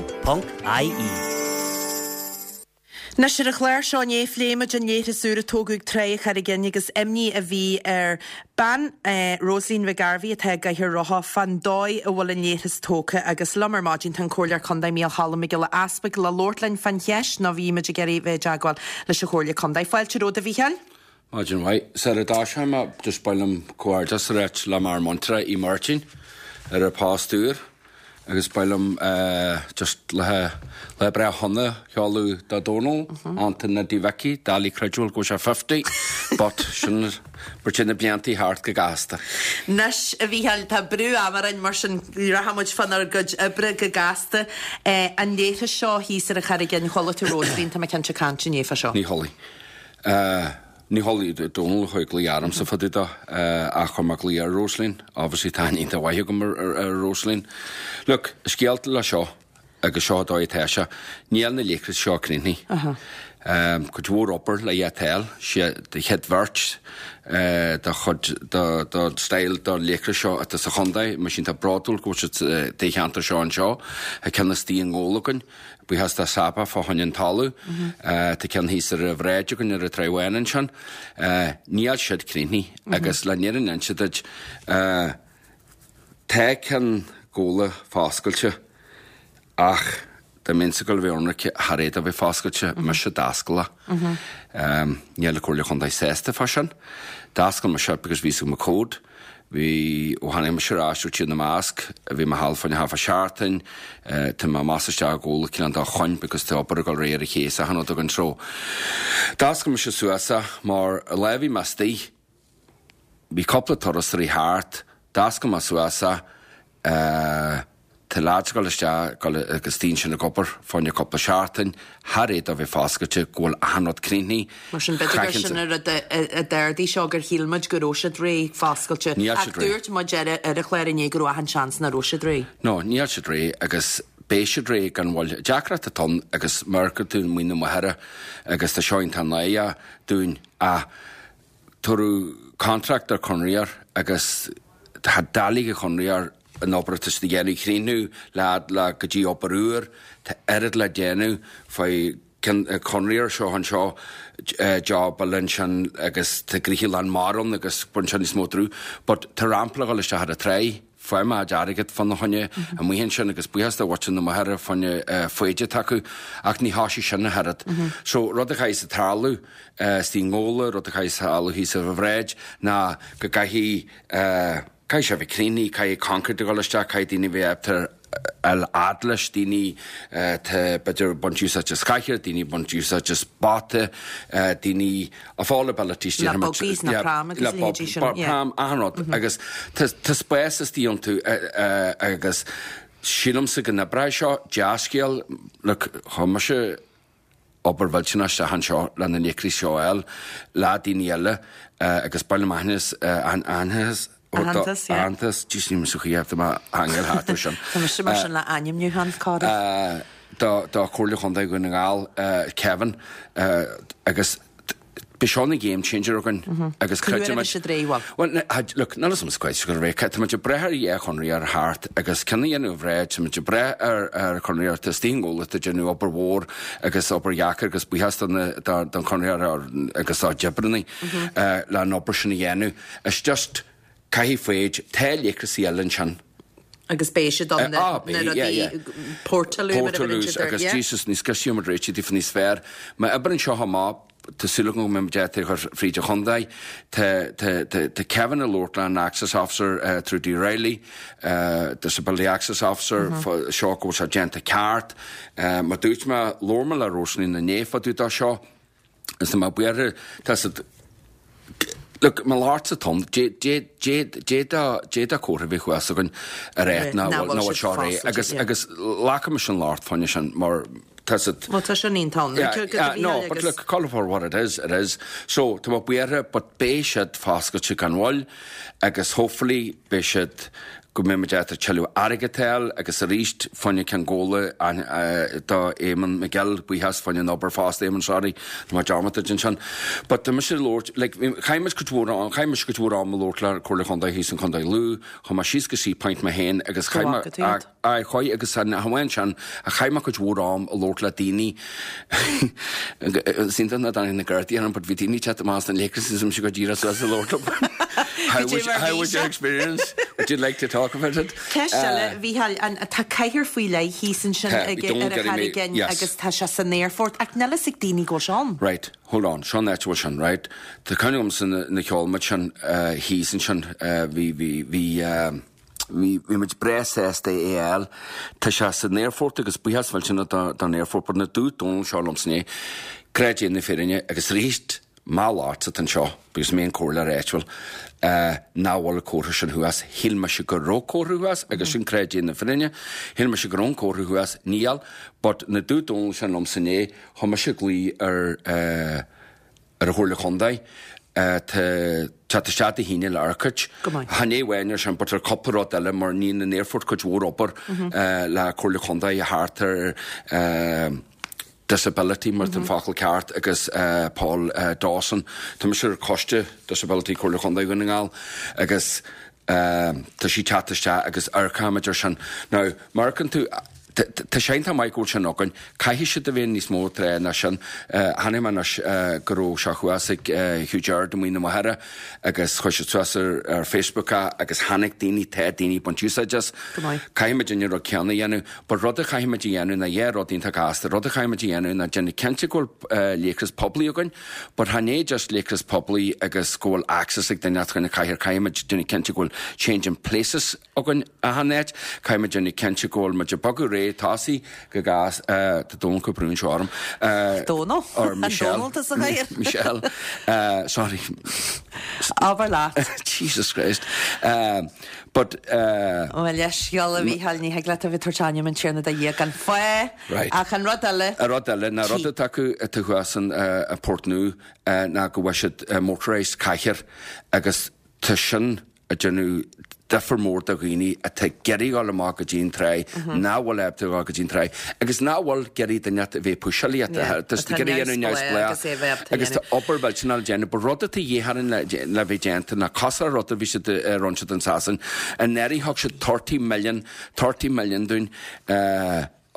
Anois ar an chlár seo inné phléigh muid an leithreas úr a tógadh ag Trá an Charraig Fhinn agus imní a bhí ar bean, Rosaleen McGarvey atá i gcathaoir rotha, fán dóigh a bhfuil an leithreas tógtha agus liom ar maidin tá an Comhairleoir Contae Mícheál Cholm Mac Giolla Easpaig le labhairt linn fán cheist nó bhí muid ag iarraidh bheith i dteagmháil leis an Chomhairle Contae. Fáilte romhat a Mhícheáil. Maidin mhaith. Sara dtoiseoidh mé, just ba mhaith liom comhghairdeas a ráit le m'fhear muinteartha Uí Mháirtín ar a post úr. Agus ba mhaith liom just lá lá breá shona a sheoladh do Dónal, Antain Neidí Mhicí, doiligh creidbheáil go bhfuil sé 50, but sin mar téann na bliantaí thart go gasta. Anois, a Mhícheáil, tá brú ama orainn, mar sin rachaidh muid fánár gcuid oibre go gasta. An leithreas seo thíos ar an Charraig Fhinn, chuala tú Rosaleen, tá mé cinnte, ag caint inné fá seo. Ní chuala. Ní chuala Dónal a chuaigh glaoch ormsa fá dtaobh dó ach chuir mé glaoch ar Rosaleen. Obviously tá aithne iontach mhaith agam ar Rosaleen. Look, scéal le seo agus seo an dóigh atá sé, níl na leithris seo críochnaithe. Cuid mhór obair le fháil, sé an chéad bheirt de chuid den style de leithreas seo atá sa chontae, mise iontach bródúil go bhfuil siad sa cheantar seo anseo. Tá ceann istigh i nGabhla againn. Buíochas do Saba fá choinne an talamh. Tá ceann thíos ar an bhráid againn ar an Tráigh Bháin ansin. Níl siad críochnaithe agus le fírinne a inse duit, tá ceann Ghabhla foscailte ach dá mbeinnse ag dul a bheith ionraic thar é do bheith foscailte, mise a d'oscail é. Níl an Comhairle Chontae sásta fá sin. D'oscail mise because bhí a fhios agam an cód. Bhí, ó tháinig mise ar ais ó Tír na mBasc, bhí mé thall fá choinne half a seachtain, tá mé amach is isteach i gCabhla cineál dá choinn because tá obair ag dul ar aghaidh ar an ché is achan rud againn so d'oscail mise suas é mar an lá a bhí mé istigh bhí cúpla turas tar éis thart, d'oscail mé suas é, Tá leaids ag dul isteach agus daoine sin ag obair fá choinne cúpla seachtain thar é do bheith foscailte go bhfuil achan rud críochnaithe. Mar sin, b'fhéidir gur sin an rud a d'ardaigh seo, gur shíl muid go raibh siad réidh, foscailte. Níl Ach siad réidh. dúirt muid ar ar an chlár inné go raibh achan seans nach raibh siad réidh. No, níl siad réidh agus beidh siad réidh gan mhoill. Deacracht atá ann agus mar go tú Muin na Machaire agus tá seo iontach náireach dúinn ach tabhaireadh contract ar conraitheoir agus tá doiligh an chonraitheoir an obair atá siad a dhéanamh a chríochnú le le go dtí obair úr tá oiread le déanamh faoi conraitheoir seo anseo job eile ansin agus tá gnoithe lán mara ann agus baineann sé níos mó brú but tá rampa le dhul isteach ar an tráigh Fuair mé airgead fána choinne amuigh ansin agus buíochas do mhuintir na Machaire fá choinne foighid atá acu ach ní thosaigh sin ach oiread. So rud a chaithfidh tarlú istigh i nGabhla, rud a chaithfidh tarlú thíos ar an bhráid ná go gcaithfidh, caithfidh sé a bheith críochnaithe, caithfidh concrete a dhul isteach, caithfidh daoine a bheith ábalta fháil fhad leis, daoine atá b'fhéidir ag baint úsáid as cathaoir, daoine ag baint úsáid as bata, daoine of all abilities Le buggies nó pram agus a leithéidí sin, yeah. Pram, achan rud agus tá spás istigh iontu agus sílimse go n-oibreoidh seo, dea-scéal, look, chuir mise obair mhillteanach isteach anseo le na leithris seo a fháil le daoine eile agus ba mhaith liom aitheantas Aitheantas, yeah. Aitheantas, jeez níl mise chaoi tá mé hangáil thart ar sin. Tá mise mar sin le ainmniúchán, Cára. Do do Chomhairle Chontae Dhún na nGall, Kevin, agus beidh seo ina game changer againn agus Cá huair a bheidh siad réidh, bhuel? Bhuel, look, níl 'fhios a'm quite go raibh tá muid ag brath ar dhá chonraitheoir thart agus ceann a dhéanamh bhreá, tá muid ag brath ar ar chonraitheoir tá istigh i nGabhla atá ag déanamh obair mhór agus obair dheacair agus buíochas do na don chonraitheoir agus dá oibreannaí le an obair sin a dhéanamh. It's just, caithfidh foighid, tá leithreasaí eile ansin. Agus beidh siad ann na rudaí portaloo mar a bheireann siad air, yeah. Agus Jesus, níos sciobtha muid réitigh daofa níos fearr. Má oibreann seo amach, tá súil agam go mbeidh muid ábalta a chur fríd an chontae. Tá, tá, tá, tá Kevin ag labhairt le an access officer, Trudy Reilly, disability access officer, seo go bhfuil sé déanta ceart. Mar dúirt mé, labhair mé le Rosaleen inné fá dtaobh de seo. Is tá mé buartha, tá siad, look, mo labhairt sa tonn, d'fhéadfadh comhartha a bheith thuas againn ar áit nach bhfuil seo réidh agus agus glacaimis an locht fá choinne sin mar tá siad. Bhuel tá sin iontach ann. No, but look, call it for what it is, it is. So tá mé buartha but beidh siad foscailte gan mhoill agus hopefully beidh siad go mbeidh muid ábalta tuilleadh airgead a fháil agus arís fá choinne ceann Ghabhla do Éamonn McGill, buíochas fá choinne an obair fosta Éamonn sorry, tá mé dearmadta ansin. But tá mise ag labhairt, like, chaith muid cuid mhór am, chaith mise cuid mhór am ag labhairt le Comhairle Chontae thíos in Contae Lú, chuaigh mé síos go Seapoint mé féin agus chaith mé, aye, chuaigh agus an amháin sin, ach chaith mé cuid mhór am ag labhairt le daoine, is iontach nach dtáinig na Gardaí orm but bhí daoine ag teacht amach as na leithris is mise go díreach suas ag labhairt leo. How was, how was your experience? Would you like to talk about it? Ceist eile, a Mhícheáil, an, tá cathaoir faoi leith thíos ansin Tá, ag, don't ar an get me, Charraig Fhinn yes. agus tá sé san aerfort ach níl fhios ag daoine go bhfuil sé ann. Right, hold on, seo an áit a bhfuil sin, right? Tá cuimhne agamsa nuair a sheol muid sin thíos ansin, bhí, bhí, bhí, eh, Bhí muid breá sásta é a fháil. Tá sé san aerfort agus buíochas millteanach don aerfort but nuair a dúirt Dónal seo liomsa inné, creid é na fírinne agus arís mo locht atá anseo because mé an comhairleoir áitiúil nach bhfuil an comhartha sin thuas. Shíl mise go raibh comhartha thuas agus sin creid é na fírinne. Shíl mise go raibh an comhartha thuas, níl but nuair a dúirt Dónal sin liomsa inné, chuir mise glao ar ar an Chomhairle Chontae tá teacht isteach Dé hAoine le Eircode. Go maith. Chan é amháin ar sin but ar cúpla rud eile mar níonn an aerfort cuid mhór obair le Comhairle Chontae thart ar disability mar tá an focal ceart agus Paul Dawson. Tá mise ar choiste disability Comhairle Chontae Dhún na nGall agus tá sí teacht isteach agus amharcfaimid ar sin. Now, má amharcann tú, tá sé iontach maith go bhfuil sin againn. Caithfidh siad a bheith níos mó tráth ná sin. Chonaic mé anois go raibh sé thuas ag Hugh Gerard i Muine na Machaire agus chuir siad suas ar Facebook é agus tháinig daoine, tá daoine ag baint úsáid as. Go maith. Caithfidh muid an rud céanna a dhéanamh. But rud a chaithfidh muid a dhéanamh ná dhá rud iontach gasta. Rud a chaithfidh muid a dhéanamh ná déanamh cinnte go bhfuil léachras poiblí againn. But chan é just léachras poiblí agus go bhfuil access ag duine chun na cathair, caithfidh muid déanamh cinnte go bhfuil changing places againn achan áit, caithfidh muid déanamh cinnte go bhfuil muid ag bogadh réidh tosaí go gas, tá Dónal ag brú anseo orm. Dónal? Or Michelle. An Dónal atá sa chathaoir? Michelle. Sorry. Abair leat. Jesus Christ. But. Bhuel, leithscéal a Mhícheáil, ní thig leat a bheith ag tabhairt ainm an Tiarna do Dhia gan fáth. Right. Ach an rud eile. An rud eile, ná rud atá acu atá thuas in Port Nua ná go bhfuil siad motorised cathaoir agus tá sin ag déanamh difear mór do dhaoine atá ag iarraidh dul amach go dtí an tráigh, nach bhfuil ábalta dul go dtí an tráigh agus nach bhfuil ag iarraidh duine a bheith ag pusháil iad. Tá siad ag iarraidh dhéanamh neamhspleách agus tá obair mhillteanach le déanamh. But rud atá de dhíth orainn le bheith déanta ná cosúil le rud a bhí siad a rinne siad in Sasain. Anuraidh thug siad 30 million, 30 million dúinn,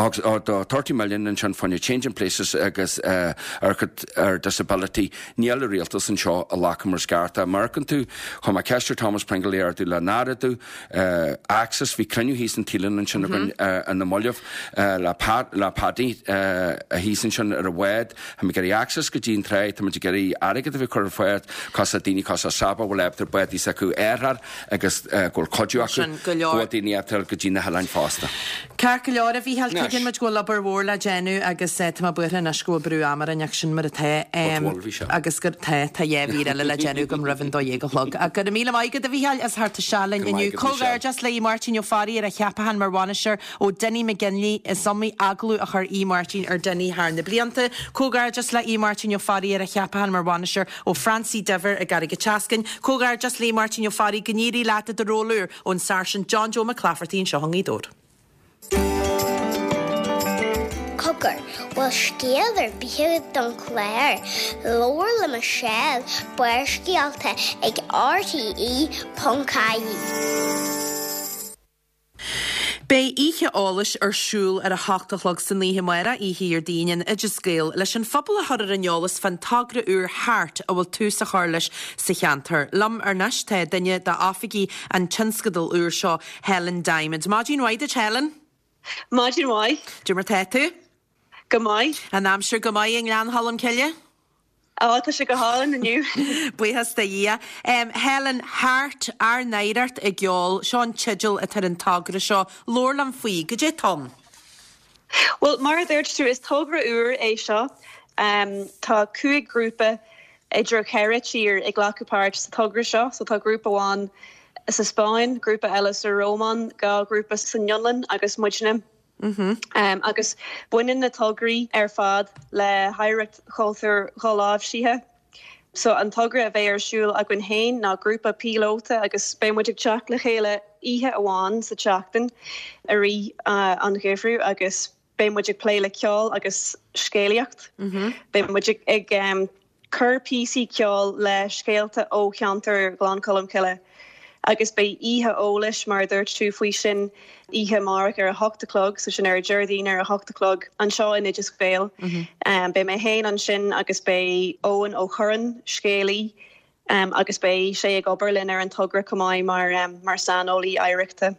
do 30 million ansin fá choinne Changing Places agus ar disability. Níl an rialtas anseo ag glacadh mar is ceart. Dá amharcann tú, chuir mé ceist ar Thomas Pringle é ardú le n-ardú Access, bhí cruinniú thíos in Teelan ansin againn ar na mallaibh le Pat, le Paddy thíos ansin ar an bhád. Tá muid ag iarraidh access go dtí an tráigh, tá muid ag iarraidh airgead a bheith curtha ar fáil, cosúil le daoine cosúil le Saba, bhfuil ábalta bádaí s'acu a árthach agus go bhfuil cuidiú acu, go bhfuil daoine ábalta go dtí na hoileáin fosta. Ceart go leor, a Mhícheáil, tuigeann muid go bhfuil obair mhór le déanamh agus tá mé buartha anois go bhfuil brú ama orainn ach sin mar atá. Agus gur, tá, tá dhá mhír eile le déanamh agam roimh an dó dhéag a chlog. Ach go raibh míle maith agat, a Mhícheáil, as theacht isteach linn inniu. Comhghairdeas le Aodh Máirtín Ó Fearraigh ar a cheapachán mar bhainisteoir ó Dinny McGinley. Is iomaí agallamh a chuir Aodh Máirtín ar Dinny thar na blianta. Comhghairdeas le Aodh Máirtín Ó Fearraigh ar a cheapachán mar bhainisteoir ó Francie Diver i gCarraig an tSeascainn. Comhghairdeas le Aodh Máirtín Ó Fearraigh, go n-éirí leat i do ról úr, ón Sáirsint John Joe McClafferty anseo i nGaoth Dobhair. Cogar, bhfuil scéal ar bith agat don chlár? Labhair le Michelle, Barrscéalta ag RTE.ie. Beidh oíche eolais ar siúl ar a hocht a chlog san oíche amárach, Oíche Dhéardaoin, in Oideas Gael, leis an phobal a chur ar an eolas fán togra úr Heart a bhfuil tús á chur leis sa cheantar. Liom anois tá duine d'oifigigh an tionscadail úr seo, Helen Diamond. Maidin mhaith duit, Helen. Maidin mhaith. Cad é mar tá tú? Go maith. An aimsir go maith i nGleann Cholm Cille? Á, tá sé go hálainn inniu. Buíochas do Dhia. Helen, Heart, ár n-oidhreacht i gceol, seo an teideal atá ar an togra seo. Labhair liom faoi. Goidé atá ann? Bhuel, mar a dúirt tú, is togra úr é seo. Tá 5 ghrúpa idir cheithre tír ag glacadh páirt sa togra seo. So tá grúpa amháin sa Spáinn, grúpa eile sa Rómáin, dhá ghrúpa san Fhionlainn agus muidne. Agus baineann na tograí ar fad le hoidhreacht chultúir dholáimhsithe. So an togra a bheidh ar siúl againn féin ná grúpa píolóta agus beidh muid ag teacht le chéile oíche amháin sa tseachtain i rith an gheimhridh agus beidh muid ag plé le ceol agus scéalaíocht. Beidh muid ag cur píosaí ceoil le scéalta ó cheantar Ghleann Cholm Cille agus beidh oíche eolais, mar a dúirt tú, faoi sin oíche amárach ar a hocht a chlog, so sin ar Déardaoin ar a hocht a chlog anseo in Oideas Gael. Beidh mé féin ansin agus beidh Eoin Ó Curráin, scéalaí, agus beidh sé ag obair linn ar an togra chomh maith mar mar saineolaí oidhreachta.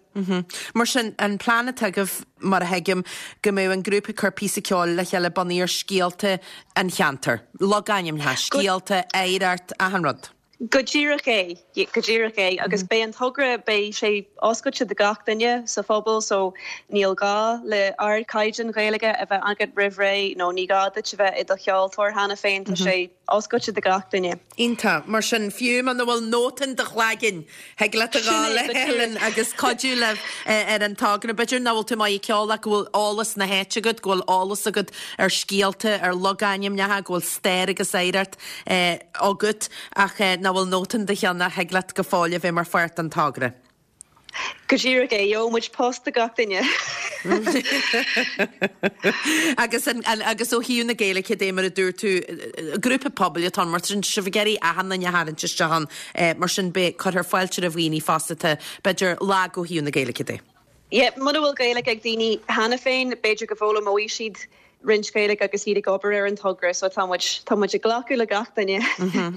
Mar sin, an plean atá agaibh, mar a thuigim, go mbeadh an grúpa ag cur píosa ceoil le chéile bunaithe ar scéalta an cheantair, logainmneacha, scéalta, oidhreacht, achan rud. Go díreach é, go díreach é. Agus beidh an togra, beidh sé oscailte do gach duine sa phobal so níl gá le ardchaighdeán Gaeilge a bheith agat roimh ré nó ní gá duit a bheith i do cheoltóir cheana féin, tá sé oscailte do gach duine. Iontach. Mar sin, fiú muna bhfuil nóta in do chlaigeann, thig leat a ghabháil le Helen agus cuidiú libh ar an togra. B'fhéidir nach bhfuil tú maith ag ceol ach go bhfuil eolas na háite agat, go bhfuil eolas agat ar scéalta, ar logainmneacha, go bhfuil stair agus oidhreacht agat ach nach bhfuil nóta in do cheann ach thig leat go fóill a bheith mar pháirt den togra. Go díreach é, gheobhaidh muid post do gach duine. Agus an, agus ó thaobh na Gaeilge de, mar a dúirt tú, grúpa pobail atá ann, mar sin, tá sibh ag iarraidh achan duine a tharraingt isteach ann, mar sin beidh, cuirfear fáilte roimh dhaoine fosta atá, b'fhéidir, lag ó thaobh na Gaeilge de. Yeah, muna bhfuil Gaeilge ag daoine cheana féin, b'fhéidir go bhfoghlaimeoidh siad roinnt Gaeilge agus iad ag obair ar an togra, so tá muid, tá muid ag glacadh le gach duine.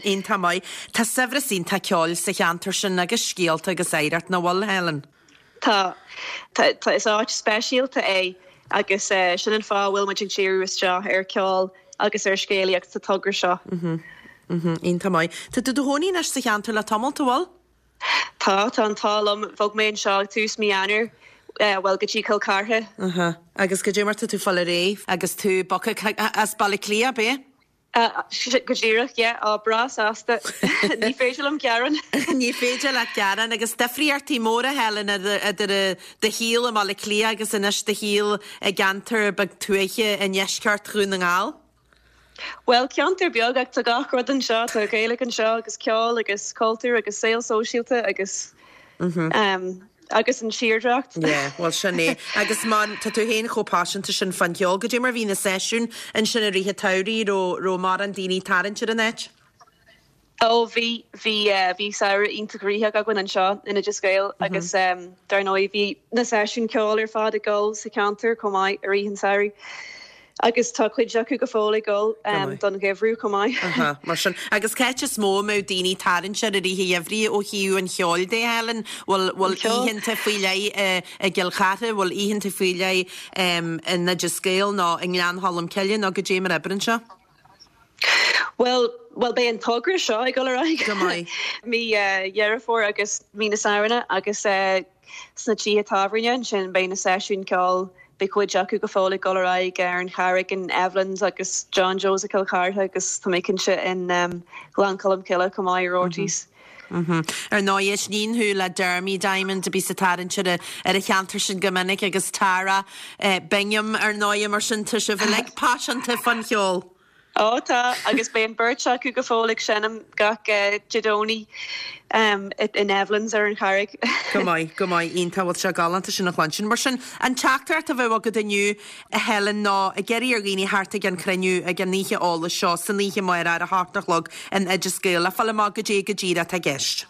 Iontach maith. Tá saibhreas iontach ceoil sa cheantar sin agus scéalta agus oidhreacht, nach bhfuil, Helen? Tá. Tá, tá, is áit speisialta é agus sin an fáth a bhfuil muid ag díriú isteach ar cheol agus ar scéalaíocht sa togra seo. Iontach maith. Tá tú i do chónaí anois sa cheantar le tamalt, an bhfuil? Tá, tá an t-ádh liom. Bhog mé anseo ag tús mí Eanáir, bhuel, go dtí Cill Chartha. Aha. Agus goidé mar tá tú ag fáil ar aghaidh agus tú bogtha as Baile Átha Cliath, ab ea? Go díreach, yeah. Á, breá sásta. Ní féidir liom gearán. Ní féidir leat gearán. Agus difríochtaí móra, Helen, idir do shaol i mBaile Átha Cliath agus anois do shaol i gceantar beag tuaithe i ndeisceart Dhún na nGall. Bhuel, ceantar beag ach tá gach rud anseo, tá Gaeilge anseo agus ceol agus cultúr agus saol sóisialta agus agus an tírdhreacht. Yeah, bhuel sin é. Agus mar tá tú féin chomh paiseanta sin fán cheol, goidé mar bhí na seisiúin ansin i rith an tsamhraidh, raibh raibh mórán daoine ag tarraingt ar an áit? Ó bhí, bhí, bhí samhradh iontach gnoitheach againn anseo in Oideas Gael agus dar ndóigh bhí na seisiúin ceoil ar fad ag dul sa cheantar chomh maith i rith an tsamhraidh agus tá cuid acu go fóill ag dul don gheimhreadh chomh maith. Aha, mar sin. Agus cá háit is mó a mbeadh daoine ag tarraingt air i rith an gheimhridh ó thaobh an cheoil de, Helen? Bhfuil, bhfuil oícheanta faoi leith i gCill Chartha, bhfuil oícheanta faoi leith in Oideas Gael nó i nGleann Cholm Cille nó goidé mar a oibreann sé? Bhuel, bhuel beidh an togra seo ag dul ar aghaidh Go maith. mí Dheireadh Fómhair agus mí na Samhna agus sna tithe tábhairne ansin beidh na seisiúin ceoil, beidh cuid acu go fóill ag dul ar aghaidh ar an Charraig in Evelyn's agus John Joe's i Cill Chartha agus tá mé cinnte in Gleann Cholm Cille chomh maith i Roarty's. Ar ndóigh, aithníonn thú le Dermy Diamond a bhíos ag tarraingt ar an cheantar sin go minic agus Tara Bingham ar ndóigh, mar sin tá sibh uilig paiseanta fán cheol. Ó tá, agus beidh an bheirt acu go fóill ag seinm gach Dé Domhnaigh in Evelyn's ar an Charraig. Go maith, go maith, iontach, bhuel tá sé galánta sin a chluinstin. Mar sin, an teachtaireacht a bheadh agat inniu, a Helen, ná ag iarraidh ar dhaoine theacht ag an chruinniú, ag an oíche eolais seo, san oíche amárach ar a hocht a chlog in Oideas Gael, le fáil amach goidé go díreach atá i gceist.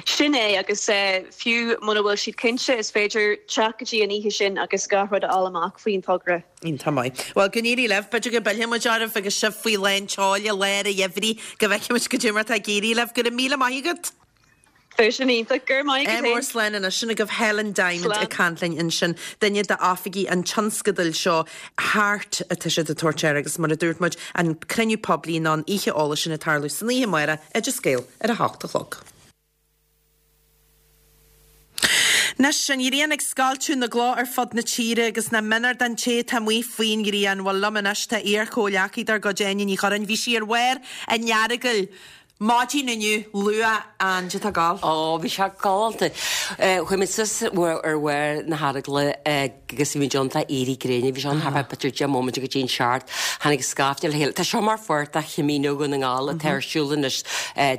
Sin é, agus fiú muna bhfuil siad cinnte, is féidir teacht go dtí an oíche sin agus gach rud a fháil amach faoin togra. Iontach maith. Bhuel, go n-éirí libh. B'fhéidir go bpillfidh muid oraibh agus sibh faoi lán tseoil i lár an gheimhridh, go bhfeicfidh muid goidé mar atá ag éirí libh. Go raibh míle maith agat. Bheadh sin iontach. Go raibh maith agat féin. Slán anois. Sin agaibh Helen Diamond ag caint linn ansin, duine d'oifigigh an tionscadail seo, HEART atá siad ag tabhairt air agus mar a dúirt muid, an cruinniú poiblí nó an oíche eolais sin ag tarlú san oíche amárach, Oideas Gael, ar a hocht a chlog. Anois, an ghrian ag scoilteadh na gcloch ar fud na tíre agus nach méanar don té atá amuigh faoin ghrian. Bhuel, liom anois tá iar-chomhghleacaí dár gcuid, Áine Ní Churráin. Bhí sí ar bharr an Earagail. Maidin inniu, luath, Áine, tá gol. Ó, bhí sé galánta. Chuaigh muid suas ar bharr na hEaragla agus bhí muid ann fá éirí gréine. Bhí sé ann thart fá b'fhéidir 10 móimint go dtí an seacht. Tháinig scaifte le chéile. Tá seo mar pháirt de Chamino Dhún na nGall atá ar siúl anois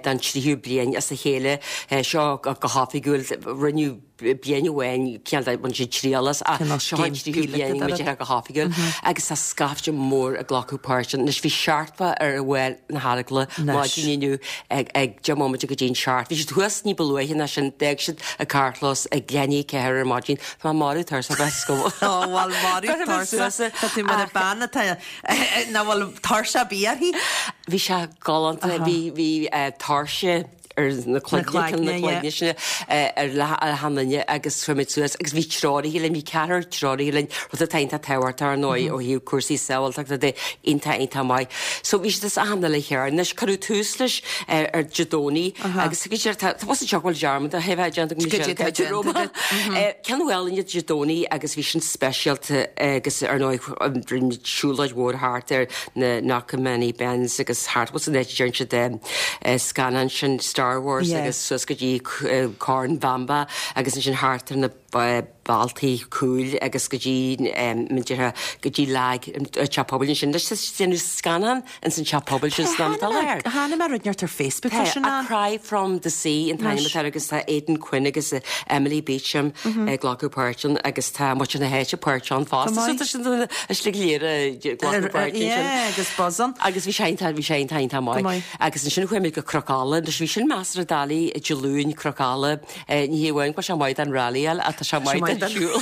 don tríú bliain as a chéile. Seo go hoifigiúil. Rinneadh bliain amháin cineál de bhain siad triail as ach seo an tríú bliain go dtéann go hoifigiúil agus tá scaifte mór ag glacadh páirt ann. Anois bhí 70 ar bharr na hEaragla maidin inniu ag ag 10 móimint go dtí an seacht. Bhí siad thuas ní ba luaithe ná sin, d'fhág siad an carrchlós ag leath i ndiaidh a 4 ar maidin. Tá mé marbh tuirseach bheith go Ó bhuel marbh tuirseach Tá tú mar an bean atá nach bhfuil tuirse ar bith uirthi. Bhí sé galánta, bhí bhí tuirse. ar na cloigne, na cloigne sin ar achan duine agus chuaigh muid suas agus bhí treoraithe linn, bhí ceathrar treoraithe linn, rud atá iontach tábhachtach ar ndóigh ó thaobh cúrsaí sábháilteachta de, iontach iontach maith. So bhí siad as achan uile chearn. Anois cuireadh tús leis ar Dé Domhnaigh agus go dtí tá tá anseo go bhfuil dearmad a bheith déanta go Michelle Caitlín Roma. Ceann Mhálainne Dé Domhnaigh agus bhí sin speisialta agus ar ndóigh rinne muid siúlóid mhór thart ar na Knockmany Bens agus thart bhfuil san áit a deireann siad scannán sin Star Wars agus suas go dtí Corn Bhamba agus ansin thart ar na bealtaí cúil agus go dtí m'indeartha go dtí lag an teach pobail ansin. Anois tá siad ag déanamh scannán ins an teach pobail sin san am atá láthair. Chonaic mé rud inteacht ar Facebook fá sin A Cry from the Sea an t-ainm atá air agus tá Aidan Quinn agus Emily Beecham ag glacadh páirt ann agus tá muintir na háite páirteach ann fosta. So tá siad an slí go léir ag glacadh páirt ansin. Yeah, agus buzz ann. Agus bhí sé iontach, bhí sé iontach, iontach maith. Agus ansin chuaigh muid go Cnoc Alla, anois bhí sin measartha doiligh Dé Luain, Cnoc Alla, Ní hé amháin go bhfuil sé maith don rallyáil ach tá sé maith don siúl.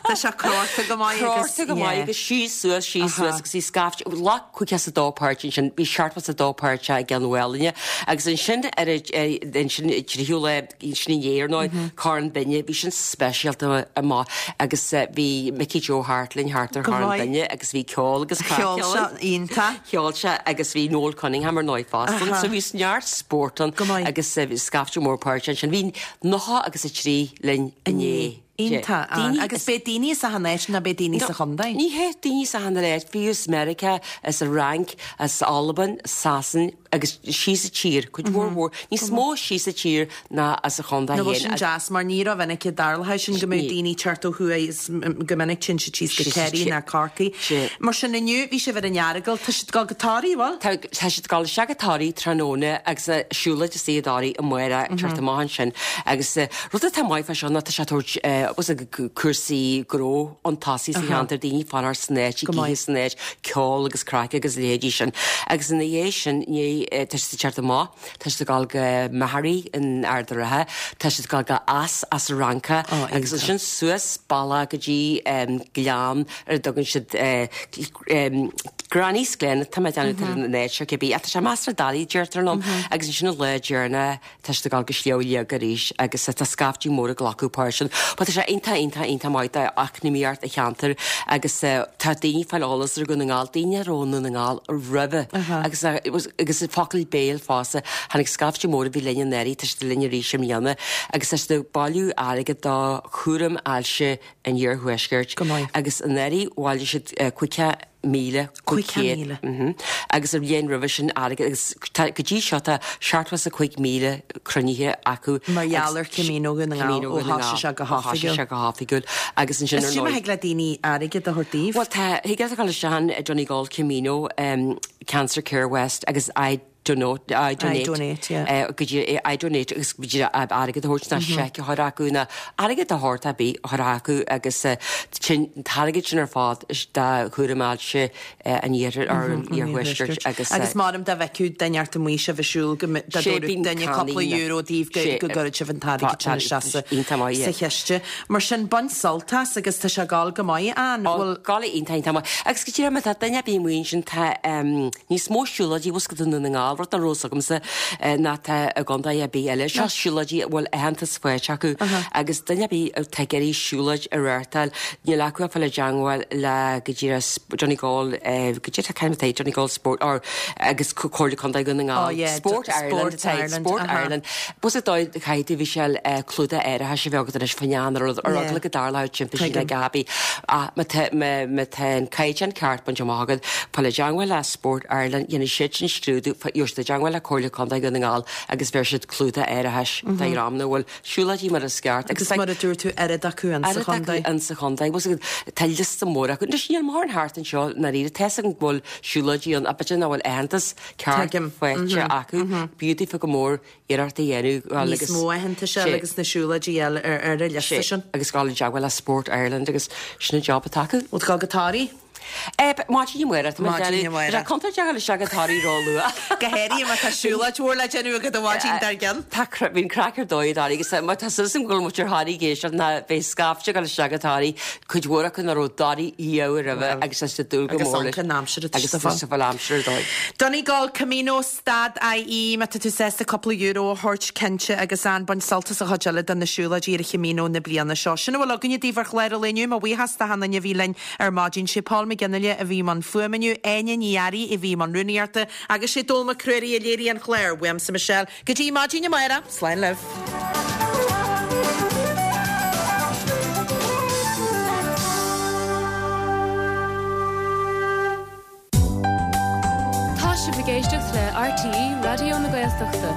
Tá sé crórtha go maith agus. Crórtha go maith agus síos suas, síos suas agus bhí scaifte, ghlac 52 páirt ansin, bhí 72 páirt i gCeann Mhálainne agus ansin ar ansin tríú lá, sin inné ar ndóigh, Corn Binne, bhí sin speisialta maith agus bhí Mickey Joe thart linn thart ar Chorn Binne agus bhí ceol agus craic ann. Cheol sé iontach. Cheol sé agus bhí Noel Cunningham ar ndóigh fosta ann so bhí neart spórt ann agus bhí scaifte mór páirteach ansin. Bhí 90 agus 3 linn inné. Iontach, Ann. Agus b'é daoine as achan áit nó b'é daoine sa chontae? Ní hé, daoine as achan áit, fiú as Meiriceá, as an Fhrainc, as Albain, Sasain agus síos an tír, cuid mhór mhór, níos mó síos an tír ná as an chontae Nó bhfuil sin deas mar ní rómhinic a dtarlódh sin go mbeadh daoine ag teacht ó thuaidh is go minic téann siad síos go Ciarraí ná Corcaigh. Mar sin inniu bhí sibh ar an Earagail, tá siad ag dul go Toraigh, bhfuil? Tá, tá siad ag dul isteach go Toraigh tráthnóna agus siúlóid istigh i dToraigh amárach teacht amach ansin agus rud atá maith fá seo ná tá sé ag tabhairt cúrsaí gnó chun tosaigh sa cheantar, daoine fanacht san áit, ag ithe san áit, ceol agus craic agus a leithéidí sin. Agus ina dhiaidh sin, ní, tá siad ag teacht amach. Tá siad ag dul go Maghairy in Ard a' Rátha, tá siad ag dul go Eas Eas-a-Fhrancach agus ansin suas bealach go dtí gleann ar a dtugann siad Granny's Glen, tá mé ag déanamh tar an áit seo cibé, ach tá sé measartha doiligh deirtear liom agus ansin an lá deireanach tá siad ag dul go Sliabh Liag arís agus tá scaifte mór ag glacadh páirt ann. But tá sé iontach iontach iontach maith d'eacnamaíocht an cheantair agus tá daoine ag fáil eolas ar Dhún na nGall, daoine a raibh i nDún na nGall roimhe agus agus focal béil fosta. Tháinig scaifte mór a bhí linn anuraidh, tá siad linn arís i mbliana agus tá siad ag bailiú airgead do chúram ailse an iarthuaiscirt. Go maith. Agus anuraidh bhailigh siad 50,500. 50,000. Agus an bhliain roimhe sin airgead agus tá go dtí seo tá 75,000 cruinnithe acu. Mar gheall ar Camino Dhún na nGall ó thosaigh sé go hoifigiúil. Ó thosaigh sé go hoifigiúil agus ansin ar ndóigh. Is cuma thig le daoine airgead a thabhairt daoibh. Bhuel tá, thig leat a dhul isteach an Donegal Camino. Cancer Care West agus I donate, I donate, I donate, yeah. go dtí I donate agus go dtí airgead a thabhairt ná seic a chur acu ná airgead de shórt ar bith a chur acu agus sin an t-airgead sin ar fad do chúram ailse an iarthair or an iarthuaiscirt agus Agus measaim dá bhfeicfeadh duine inteacht amuigh sibh ag siúl go dá dtabharfadh duine cúpla euro daoibh go go gcuirfeadh sibh an t-airgead sin isteach sa sa chiste. Mar sin bain sult as agus tá sé ag gabháil go maith Ann, bhfuil. Gabháil iontach iontach maith. Agus go díreach má tá duine ar bith amuigh ansin tá níos mó siúlóidí bhfuil a fhios agat i nDún na nGall, rud nach raibh fhios agamsa ná tá i gcontae ar bith eile. Seo siúlóidí a bhfuil aitheantas faighte acu agus duine ar bith atá ag iarraidh siúlóid a reáchtáil, níl acu ach fáil i dteangmháil le go díreach Donegal, go díreach cén atá Donegal Sport or agus Comhairle Contae Dhún na nGall. Sport Ireland atá Sport Ireland. Bhfuil a fhios agat caithfidh tú Michelle clúdach árachais a bheith agat anois faoin ar ar eagla go dtarlódh timpiste le Gabi. Ach má tá má tá an caighdeán ceart bainte amach agat, fáil i dteangmháil le Sport Ireland, dhéanfaidh siad sin scrúdú, gheobhaidh siad i dteangmháil le Comhairle Contae Dhún na nGall agus bheir siad clúdach árachais do dhream nach bhfuil siúlóidí mar is ceart. Agus mar a dúirt tú, oiread acu in sa chontae. Oiread acu in sa chontae. Bhfuil a fhios agat, tá liosta mór acu. Anois níl mórán thart anseo i ndáiríre. Tá fhios agam go bhfuil siúlóidí ann ach b'fhéidir nach bhfuil aitheantas ceart faighte acu. B'fhiú daofa go mór iarracht a dhéanamh dhul agus. Níos mó aitheantais a fháil agus na siúlóidí a fháil ar an liosta sin. Agus dhul i dteagmháil le Sport Ireland agus sin an job atá acu. Bhfuil tú ag dul go Toraigh? Maidin amárach, tá mé ag Maidin déanamh. amárach. Tá sé contúirteach a ghabháil isteach go Toraigh ró-luath. Go háirithe má tá siúlóid mhór le déanamh agat an mhaidin dár gcionn. Tá bhí an craic ar dóigh i dToraigh agus má tá súil agam go bhfuil muid ar Thoraigh ag éisteacht ná beidh scaifte ag dul isteach go Toraigh, cuid mhór acu nach raibh i dToraigh riamh roimhe agus tá siad ag dúil go Agus mór leis. ionca an aimsir atá Agus siad a tá fáil. siad ag fáil aimsir ar dóigh. Donegal Camino stad IE má tá tú sásta cúpla euro a thabhairt cinnte agus an bain sult as an chuid eile de na siúlóidí ar an Chamino na bliana seo. Sin a bhfuil againne daoibh ar chlár an lae inniu. Mo bhuíochas d'achan duine a bhí linn ar maidin. Sé Paul McGinley a bhí i mbun fuaime inniu, Áine Ní Fhearraigh a bhí i mbun rúnaíochta agus sé Dónall Mac Ruairí a léirigh an clár. Uaimse Michelle go dtí maidin amárach. Slán libh. Tá sibh ag éisteacht le RTÉ Raidió na Gaeltachta.